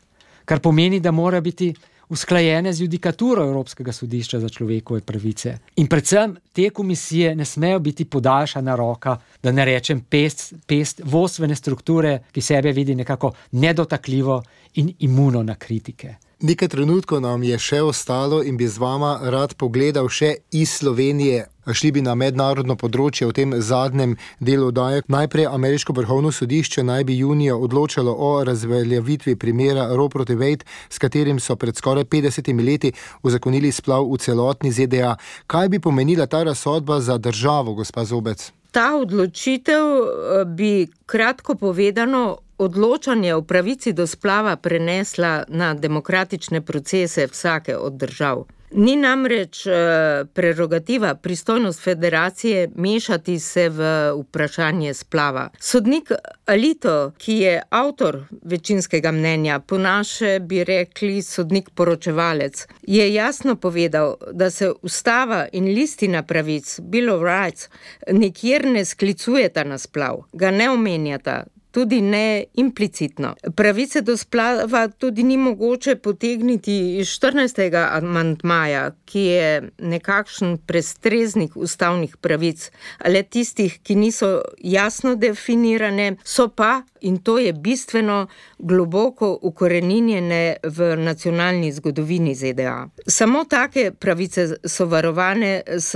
Kar pomeni, da mora biti usklajene z judikaturo Evropskega sodišča za človekove pravice. In predvsem te komisije ne smejo biti podaljšana roka, da ne rečem pest, pest vodstvene strukture, ki sebe vidi nekako nedotakljivo in imuno na kritike. Nekaj trenutkov nam je še ostalo in bi z vama rad pogledal še iz Slovenije. Šli bi na mednarodno področje v tem zadnjem delu oddaje. Najprej ameriško vrhovno sodišče naj bi junija odločalo o razveljavitvi primera Roe proti Wade, s katerim so pred skoraj petdesetimi leti uzakonili splav v celotni Z D A. Kaj bi pomenila ta razsodba za državo, gospa Zobec? Ta odločitev bi kratko povedano odločanje o pravici do splava prenesla na demokratične procese vsake od držav. Ni namreč prerogativa, pristojnost federacije mešati se v vprašanje splava. Sodnik Alito, ki je avtor večinskega mnenja, po naše bi rekli sodnik poročevalec, je jasno povedal, da se ustava in listina pravic, Bill of Rights, nikjer ne sklicujeta na splav, ga ne omenjata, tudi ne implicitno. Pravice do splava tudi ni mogoče potegniti iz štirinajstega amandmaja, ki je nekakšen prestreznik ustavnih pravic, le tistih, ki niso jasno definirane, so pa, in to je bistveno, globoko ukoreninjene v nacionalni zgodovini Z D A. Samo take pravice so varovane s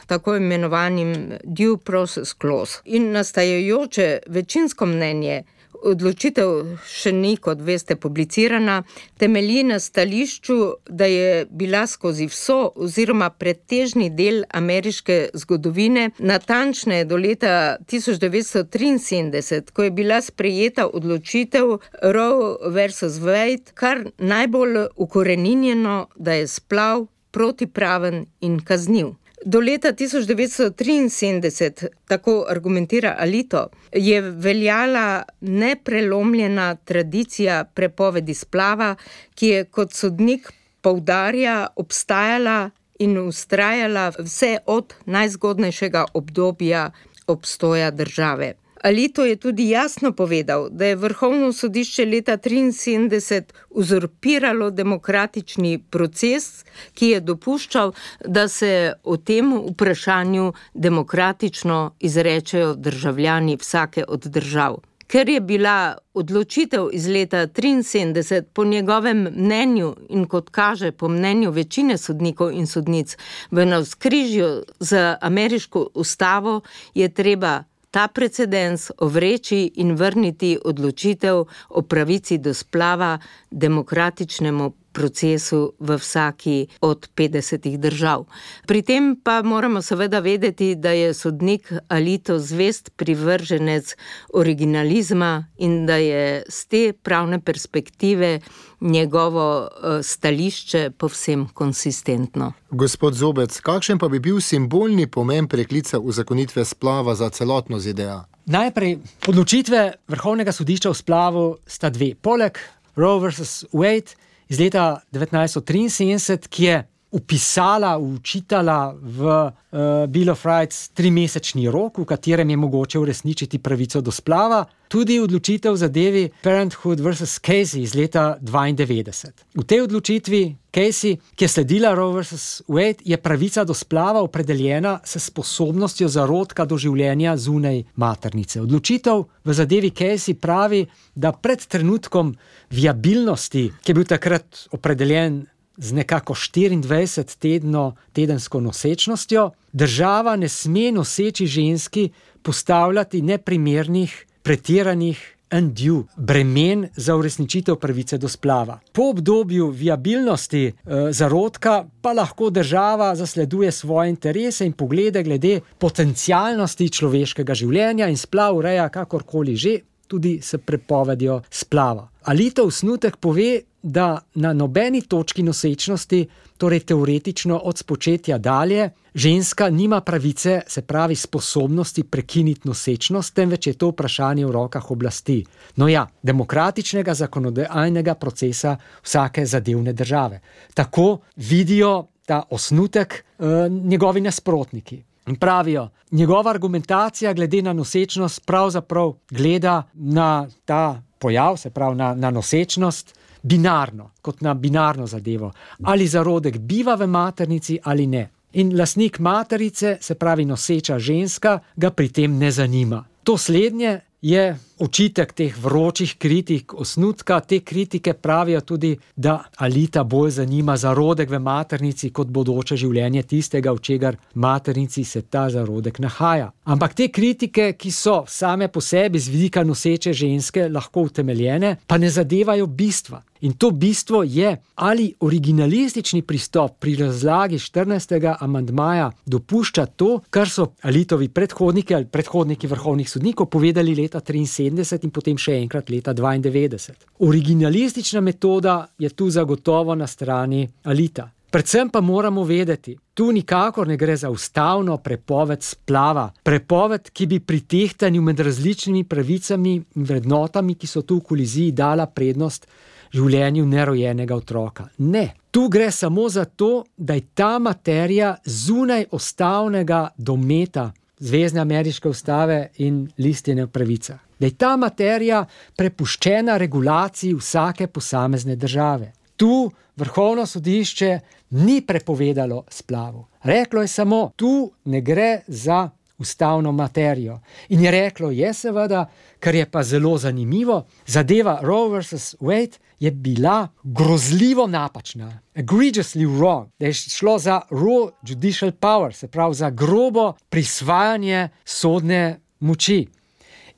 tako imenovanim due process clause. In nastajajoče večinsko mnenje, odločitev še ni, kot veste, publicirana, temelji na stališču, da je bila skozi vso oziroma pretežni del ameriške zgodovine, natančneje do leta tisoč devetsto triinsedemdeset, ko je bila sprejeta odločitev Roe versus Wade, kar najbolj ukoreninjeno, da je splav protipraven in kazniv. Do leta tisoč devetsto triinsedemdeset, tako argumentira Alito, je veljala neprelomljena tradicija prepovedi splava, ki je kot sodnik poudarja obstajala in vztrajala vse od najzgodnejšega obdobja obstoja države. Alito je tudi jasno povedal, da je Vrhovno sodišče leta triinsedemdeset uzurpiralo demokratični proces, ki je dopuščal, da se o tem vprašanju demokratično izrečejo državljani vsake od držav. Ker je bila odločitev iz leta triinsedemdeset po njegovem mnenju in kot kaže po mnenju večine sodnikov in sodnic v navzkrižju z ameriško ustavo, je treba ta precedens ovreči in vrniti odločitev o pravici do splava demokratičnemu procesu v vsaki od petdesetih držav. Pri tem pa moramo seveda vedeti, da je sodnik Alito zvest privrženec originalizma in da je z te pravne perspektive njegovo stališče povsem konsistentno. Gospod Zobec, kakšen pa bi bil simbolni pomen preklica uzakonitve splava za celotno Z D A? Najprej, odločitve Vrhovnega sodišča o splavu sta dve. Poleg Roe versus Wade iz leta devetnajststo triinsedemdeset, ki je upisala, učitala v uh, Bill of Rights trimesečni rok, v katerem je mogoče uresničiti pravico do splava, tudi odločitev zadevi Parenthood versus Casey iz leta dvaindevetdeset. V tej odločitvi Casey, ki je sledila Roe versus Wade, je pravica do splava opredeljena s sposobnostjo zarodka do življenja zunaj maternice. Odločitev v zadevi Casey pravi, da pred trenutkom viabilnosti, ki je bil takrat opredeljen z nekako štiriindvajset tedno tedensko nosečnostjo, država ne sme noseči ženski postavljati neprimernih, pretiranih undue bremen za uresničitev pravice do splava. Po obdobju viabilnosti e, zarodka pa lahko država zasleduje svoje interese in poglede glede potencialnosti človeškega življenja in splav ureja kakorkoli že, tudi s prepovedjo splava. Alito osnutek pove, da na nobeni točki nosečnosti, torej teoretično od spočetja dalje, ženska nima pravice, se pravi sposobnosti prekiniti nosečnost, temveč je to vprašanje v rokah oblasti. No ja, demokratičnega zakonodajnega procesa vsake zadevne države. Tako vidijo ta osnutek eh, njegovi nasprotniki. In pravijo, njegova argumentacija glede na nosečnost pravzaprav gleda na ta pojav, se pravi na, na nosečnost, binarno, kot na binarno zadevo. Ali zarodek biva v maternici ali ne. In lastnik materice, se pravi noseča ženska, ga pri tem ne zanima. To slednje je očitek teh vročih kritik osnutka. Te kritike pravijo tudi, da Alita bolj zanima zarodek v maternici kot bodoče življenje tistega, v čegar maternici se ta zarodek nahaja. Ampak te kritike, ki so same po sebi z vidika noseče ženske lahko utemeljene, pa ne zadevajo bistva. In to bistvo je, ali originalistični pristop pri razlagi štirinajstega amandmaja dopušča to, kar so Alitovi predhodniki ali predhodniki vrhovnih sodnikov povedali leta triinsedemdeset in potem še enkrat leta dvaindevetdeset. Originalistična metoda je tu zagotovo na strani Alita. Predvsem pa moramo vedeti, tu nikakor ne gre za ustavno prepoved splava, prepoved, ki bi pri tehtanju med različnimi pravicami in vrednotami, ki so tu v koliziji, dala prednost življenju nerojenega otroka. Ne, tu gre samo za to, da je ta materija zunaj ustavnega dometa Zvezne ameriške ustave in listine o pravicah. Da je ta materija prepuščena regulaciji vsake posamezne države. Tu Vrhovno sodišče ni prepovedalo splavu. Reklo je samo, tu ne gre za ustavno materijo. In je reklo, je seveda, kar je pa zelo zanimivo, zadeva Roe versus Wade je bila grozljivo napačna. Egregiously wrong. Da je šlo za raw judicial power, se pravi za grobo prisvajanje sodne moči.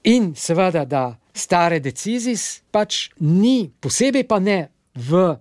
In seveda, da stare decisis pač ni, posebej pa ne v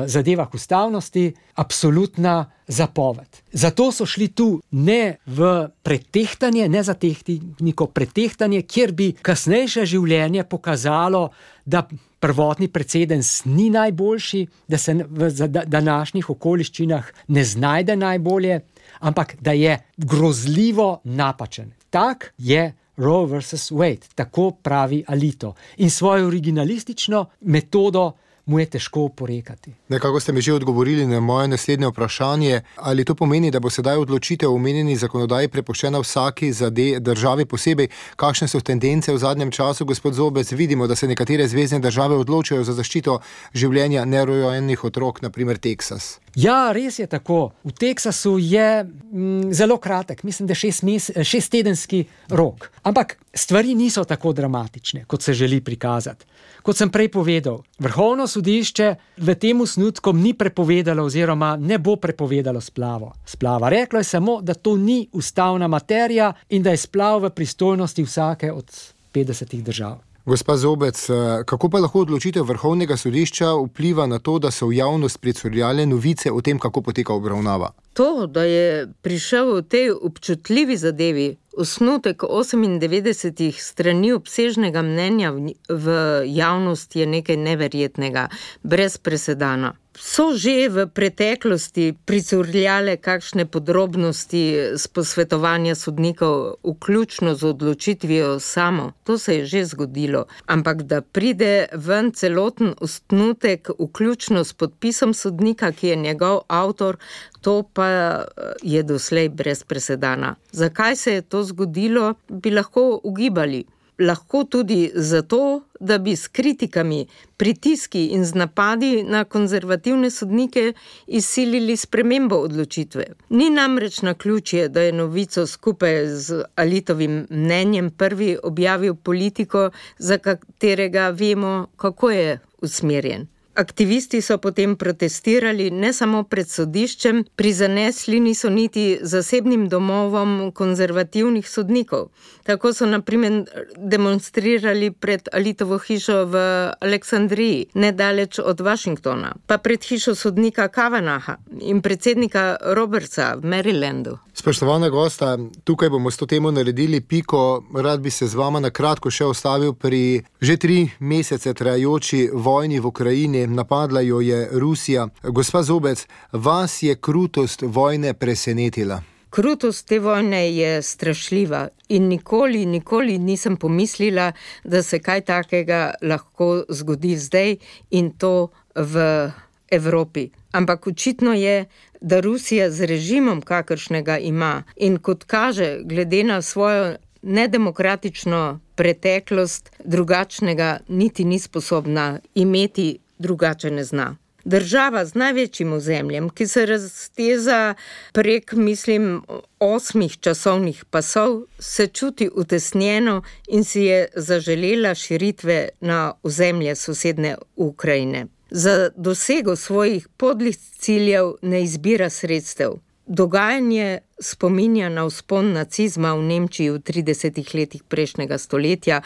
zadevah ustavnosti, absolutna zapoved. Zato so šli tu ne v pretehtanje, ne za tehniko pretehtanje, kjer bi kasnejše življenje pokazalo, da prvotni precedens ni najboljši, da se v današnjih okoliščinah ne znajde najbolje, ampak da je grozljivo napačen. Tak je Roe versus Wade, tako pravi Alito. In svojo originalistično metodo mu je težko oporekati. Nekako ste mi že odgovorili na moje naslednje vprašanje, ali to pomeni, da bo sedaj odločitev o omenjeni zakonodaji prepuščena vsaki zade, državi posebej. Kakšne so tendence v zadnjem času, gospod Zobec? Vidimo, da se nekatere zvezne države odločajo za zaščito življenja nerojenih otrok, na primer Teksas. Ja, res je tako. V Teksasu je mm, zelo kratek, mislim, da šest mes, šesttedenski rok. Ampak stvari niso tako dramatične, kot se želi prikazati. Kot sem prej povedal, Vrhovno sodišče v tem osnutku ni prepovedalo oziroma ne bo prepovedalo splavo. Splava. Reklo je samo, da to ni ustavna materija in da je splav v pristojnosti vsake od petdesetih držav. Gospa Zobec, kako pa lahko odločitev Vrhovnega sodišča vpliva na to, da so v javnost pricurljale novice o tem, kako poteka obravnava? To, da je prišel v tej občutljivi zadevi osnutek osemindevetdesetih strani obsežnega mnenja v javnost, je nekaj neverjetnega, brez presedana. So že v preteklosti pricurljale kakšne podrobnosti z posvetovanja sodnikov, vključno z odločitvijo samo. To se je že zgodilo. Ampak da pride ven celoten osnutek, vključno s podpisom sodnika, ki je njegov avtor, to pa je doslej brez presedana. Zakaj se je to zgodilo, bi lahko ugibali. Lahko tudi zato, da bi s kritikami, pritiski in z napadi na konzervativne sodnike izsilili spremembo odločitve. Ni namreč naključje, da je novico skupaj z Alitovim mnenjem prvi objavil Politico, za katerega vemo, kako je usmerjen. Aktivisti so potem protestirali ne samo pred sodiščem, prizanesli niso niti zasebnim domovom konzervativnih sodnikov. Tako so na primer demonstrirali pred Alitovo hišo v Aleksandriji, nedaleč od Washingtona, pa pred hišo sodnika Kavanaugha in predsednika Robertsa v Marylandu. Spoštovana gosta, tukaj bomo s to temo naredili piko. Rad bi se z vama na kratko še ostavil pri že tri mesece trajajoči vojni v Ukrajini. Napadla jo je Rusija. Gospa Zobec, vas je krutost vojne presenetila? Krutost te vojne je strašljiva in nikoli, nikoli nisem pomislila, da se kaj takega lahko zgodi zdaj in to v Evropi. Ampak očitno je, da Rusija z režimom, kakršnega ima, in kot kaže, glede na svojo nedemokratično preteklost, drugačnega niti ni sposobna imeti, drugače ne zna. Država z največjim ozemljem, ki se razteza prek, mislim, osmih časovnih pasov, se čuti utesnjeno in si je zaželela širitve na ozemlje sosedne Ukrajine. Za dosego svojih podlih ciljev ne izbira sredstev. Dogajanje spominja na vzpon nacizma v Nemčiji v tridesetih letih prejšnjega stoletja,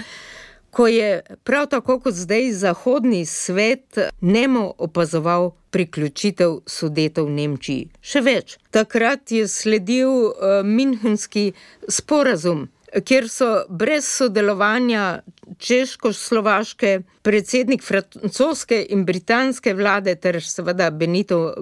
ko je prav tako kot zdaj zahodni svet nemo opazoval priključitev Sudetov v Nemčiji. Še več, takrat je sledil uh, Münchenski sporazum, kjer so brez sodelovanja češko-slovaške, predsednik francoske in britanske vlade ter seveda Benito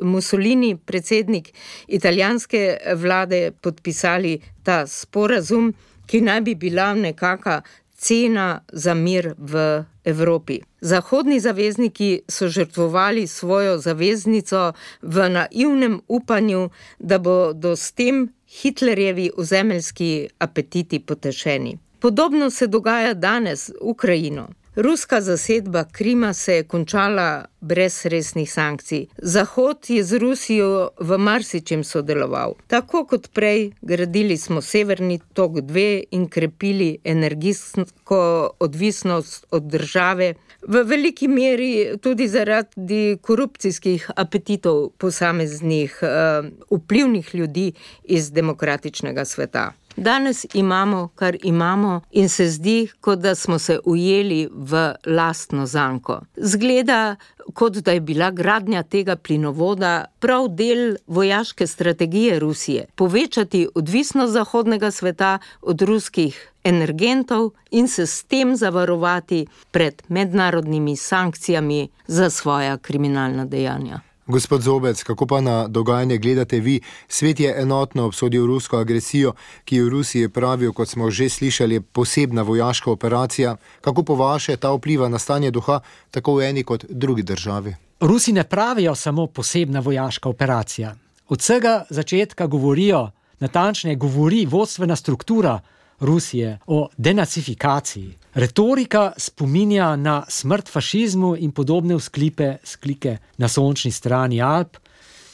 Mussolini, predsednik italijanske vlade, podpisali ta sporazum, ki naj bi bila nekaka cena za mir v Evropi. Zahodni zavezniki so žrtvovali svojo zaveznico v naivnem upanju, da bodo s tem Hitlerjevi ozemeljski apetiti potešeni. Podobno se dogaja danes v Ukrajino. Ruska zasedba Krima se je končala brez resnih sankcij. Zahod je z Rusijo v marsičem sodeloval. Tako kot prej, gradili smo Severni tok dva in krepili energijsko odvisnost od države, v veliki meri tudi zaradi korupcijskih apetitov posameznih uh, vplivnih ljudi iz demokratičnega sveta. Danes imamo, kar imamo in se zdi, kot da smo se ujeli v lastno zanko. Zgleda, kot da je bila gradnja tega plinovoda prav del vojaške strategije Rusije. Povečati odvisnost zahodnega sveta od ruskih energentov in se s tem zavarovati pred mednarodnimi sankcijami za svoja kriminalna dejanja. Gospod Zobec, kako pa na dogajanje gledate vi? Svet je enotno obsodil rusko agresijo, ki jo v Rusiji pravijo, kot smo že slišali, posebna vojaška operacija. Kako po vaše ta vpliva na stanje duha tako v eni kot drugi državi? Rusi ne pravijo samo posebna vojaška operacija. Od vsega začetka govorijo, natančneje govori vodstvena struktura Rusije o denacifikaciji. Retorika spominja na smrt fašizmu in podobne vzklipe, sklike na sončni strani Alp,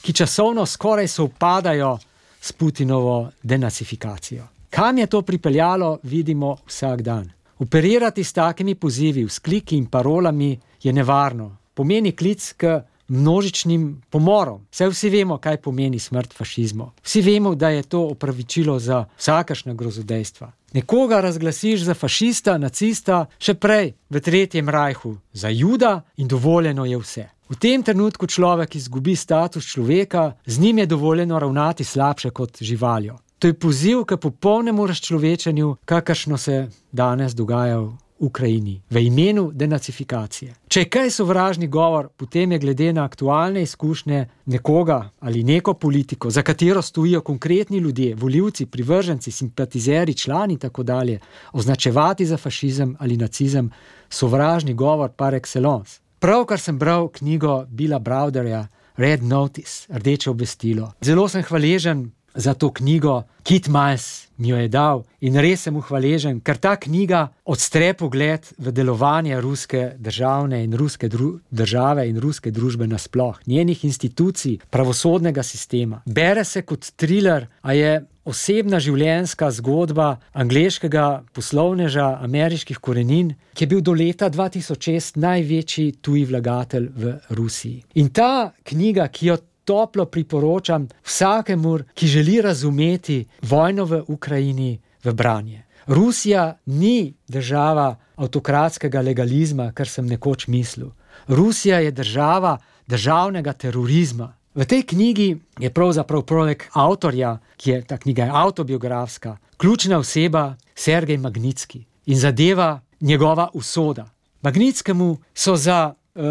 ki časovno skoraj sovpadajo s Putinovo denacifikacijo. Kam je to pripeljalo, vidimo vsak dan. Operirati s takimi pozivi, vzkliki in parolami je nevarno. Pomeni klic k množičnim pomorom. Saj vsi vemo, kaj pomeni smrt fašizmu. Vsi vemo, da je to opravičilo za vsakršna grozodejstva. Nekoga razglasiš za fašista, nacista, še prej v Tretjem rajhu za Juda in dovoljeno je vse. V tem trenutku človek izgubi status človeka, z njim je dovoljeno ravnati slabše kot živaljo. To je poziv k popolnemu razčlovečenju, kakršno se danes dogaja v Ukrajini, v imenu denacifikacije. Če je kaj sovražni govor, potem je glede na aktualne izkušnje nekoga ali neko politiko, za katero stojijo konkretni ljudje, volivci, privrženci, simpatizeri, člani in tako dalje, označevati za fašizem ali nacizem, sovražni govor par excellence. Pravkar sem bral knjigo Billa Browderja Red Notice, Rdeče obvestilo. Zelo sem hvaležen za to knjigo, Kit Miles mi jo je dal in res sem mu hvaležen, ker ta knjiga odstre pogled v delovanje ruske državne in ruske dru- države in ruske družbe nasploh, njenih institucij, pravosodnega sistema. Bere se kot thriller, a je osebna življenjska zgodba angleškega poslovneža ameriških korenin, ki je bil do leta dva tisoč šest največji tuji vlagatelj v Rusiji. In ta knjiga, ki jo toplo priporočam vsakemu, ki želi razumeti vojno v Ukrajini, v branje. Rusija ni država avtokratskega legalizma, kar sem nekoč mislil. Rusija je država državnega terorizma. V tej knjigi je pravzaprav poleg avtorja, ki je, ta knjiga je avtobiografska, ključna oseba Sergej Magnitski in zadeva njegova usoda. Magnitskemu so za Uh,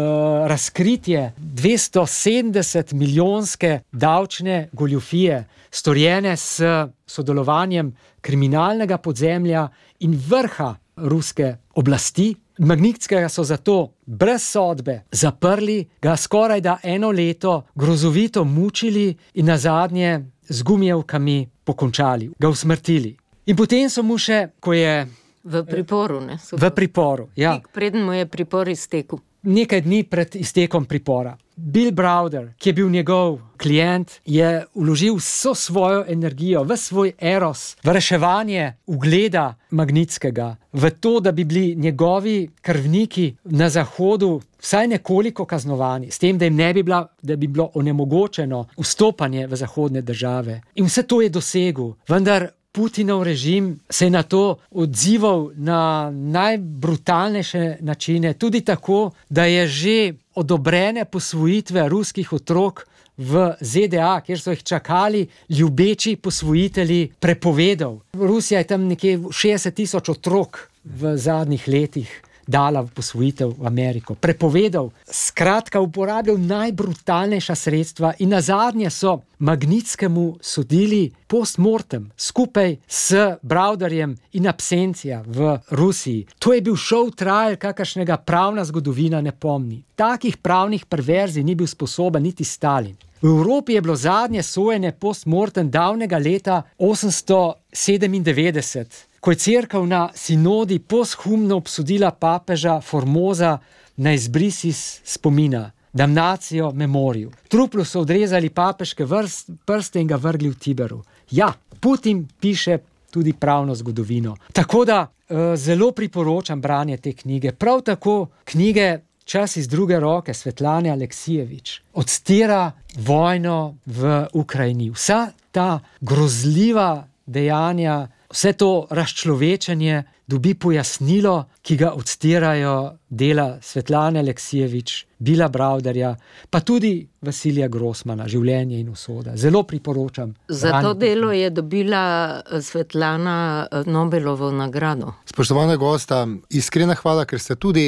razkritje dvesto sedemdeset milijonske davčne goljufije, storjene s sodelovanjem kriminalnega podzemlja in vrha ruske oblasti. Magnitskega so zato brez sodbe zaprli, ga skoraj da eno leto grozovito mučili in nazadnje z gumijevkami pokončali, ga usmrtili. In potem so mu še, ko je V priporu, ne? v priporu, ja. Tik preden mu je pripor iztekel. Nekaj dni pred iztekom pripora. Bill Browder, ki je bil njegov klient, je vložil vso svojo energijo, v svoj eros, v reševanje ugleda Magnitskega, v to, da bi bili njegovi krvniki na Zahodu vsaj nekoliko kaznovani, s tem, da jim ne bi, bila, da bi bilo onemogočeno vstopanje v zahodne države. In vse to je dosegel, vendar Putinov režim se je na to odzival na najbrutalnejše načine, tudi tako, da je že odobrene posvojitve ruskih otrok v Z D A, kjer so jih čakali ljubeči posvojitelji, prepovedal. Rusija je tam nekje šestdeset tisoč otrok v zadnjih letih dala v posvojitev v Ameriko. Prepovedal, skratka uporabljal najbrutalnejša sredstva in nazadnje so Magnitskemu sodili postmortem skupaj s Browderjem in absencija v Rusiji. To je bil show trial, kakršnega pravna zgodovina ne pomni. Takih pravnih perverzij ni bil sposoben niti Stalin. V Evropi je bilo zadnje sojenje postmortem davnega leta osemsto sedemindevetdeset, ko je cerkev na sinodi posthumno obsodila papeža Formosa na izbris iz spomina, damnacijo memoriju. Truplu so odrezali papeške vrst, prste in ga vrgli v Tiberu. Ja, Putin piše tudi pravno zgodovino. Tako da uh, zelo priporočam branje te knjige. Prav tako knjige Čas iz druge roke Svetlane Aleksijevič odstira vojno v Ukrajini. Vsa ta grozljiva dejanja, vse to razčlovečenje dobi pojasnilo, ki ga odstirajo dela Svetlane Aleksijevič Bila Brauderja, pa tudi Vasilija Grossmana, Življenje in usoda. Zelo priporočam. Za to delo je dobila Svetlana Nobelovo nagrado. Spoštovana gosta, iskrena hvala, ker ste tudi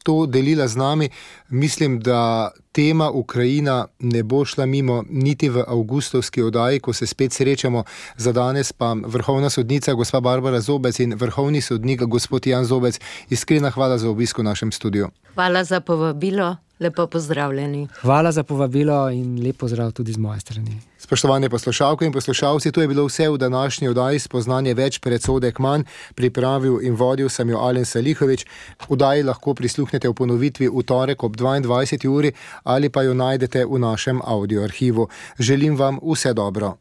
to delila z nami. Mislim, da tema Ukrajina ne bo šla mimo niti v avgustovski oddaji, ko se spet srečamo. Za danes pa vrhovna sodnica gospa Barbara Zobec in vrhovni sodnik gospod Jan Zobec. Iskrena hvala za obisk v našem studiu. Hvala za povabilo. Lepo pozdravljeni. Hvala za povabilo in lep pozdrav tudi z moje strani. Spoštovane poslušalke in poslušalci, to je bilo vse v današnji oddaji Spoznanje več, predsodek manj. Pripravil in vodil sem jo Alen Salihovič. Oddaji lahko prisluhnete v ponovitvi v torek ob dvaindvajseti uri ali pa jo najdete v našem audio arhivu. Želim vam vse dobro.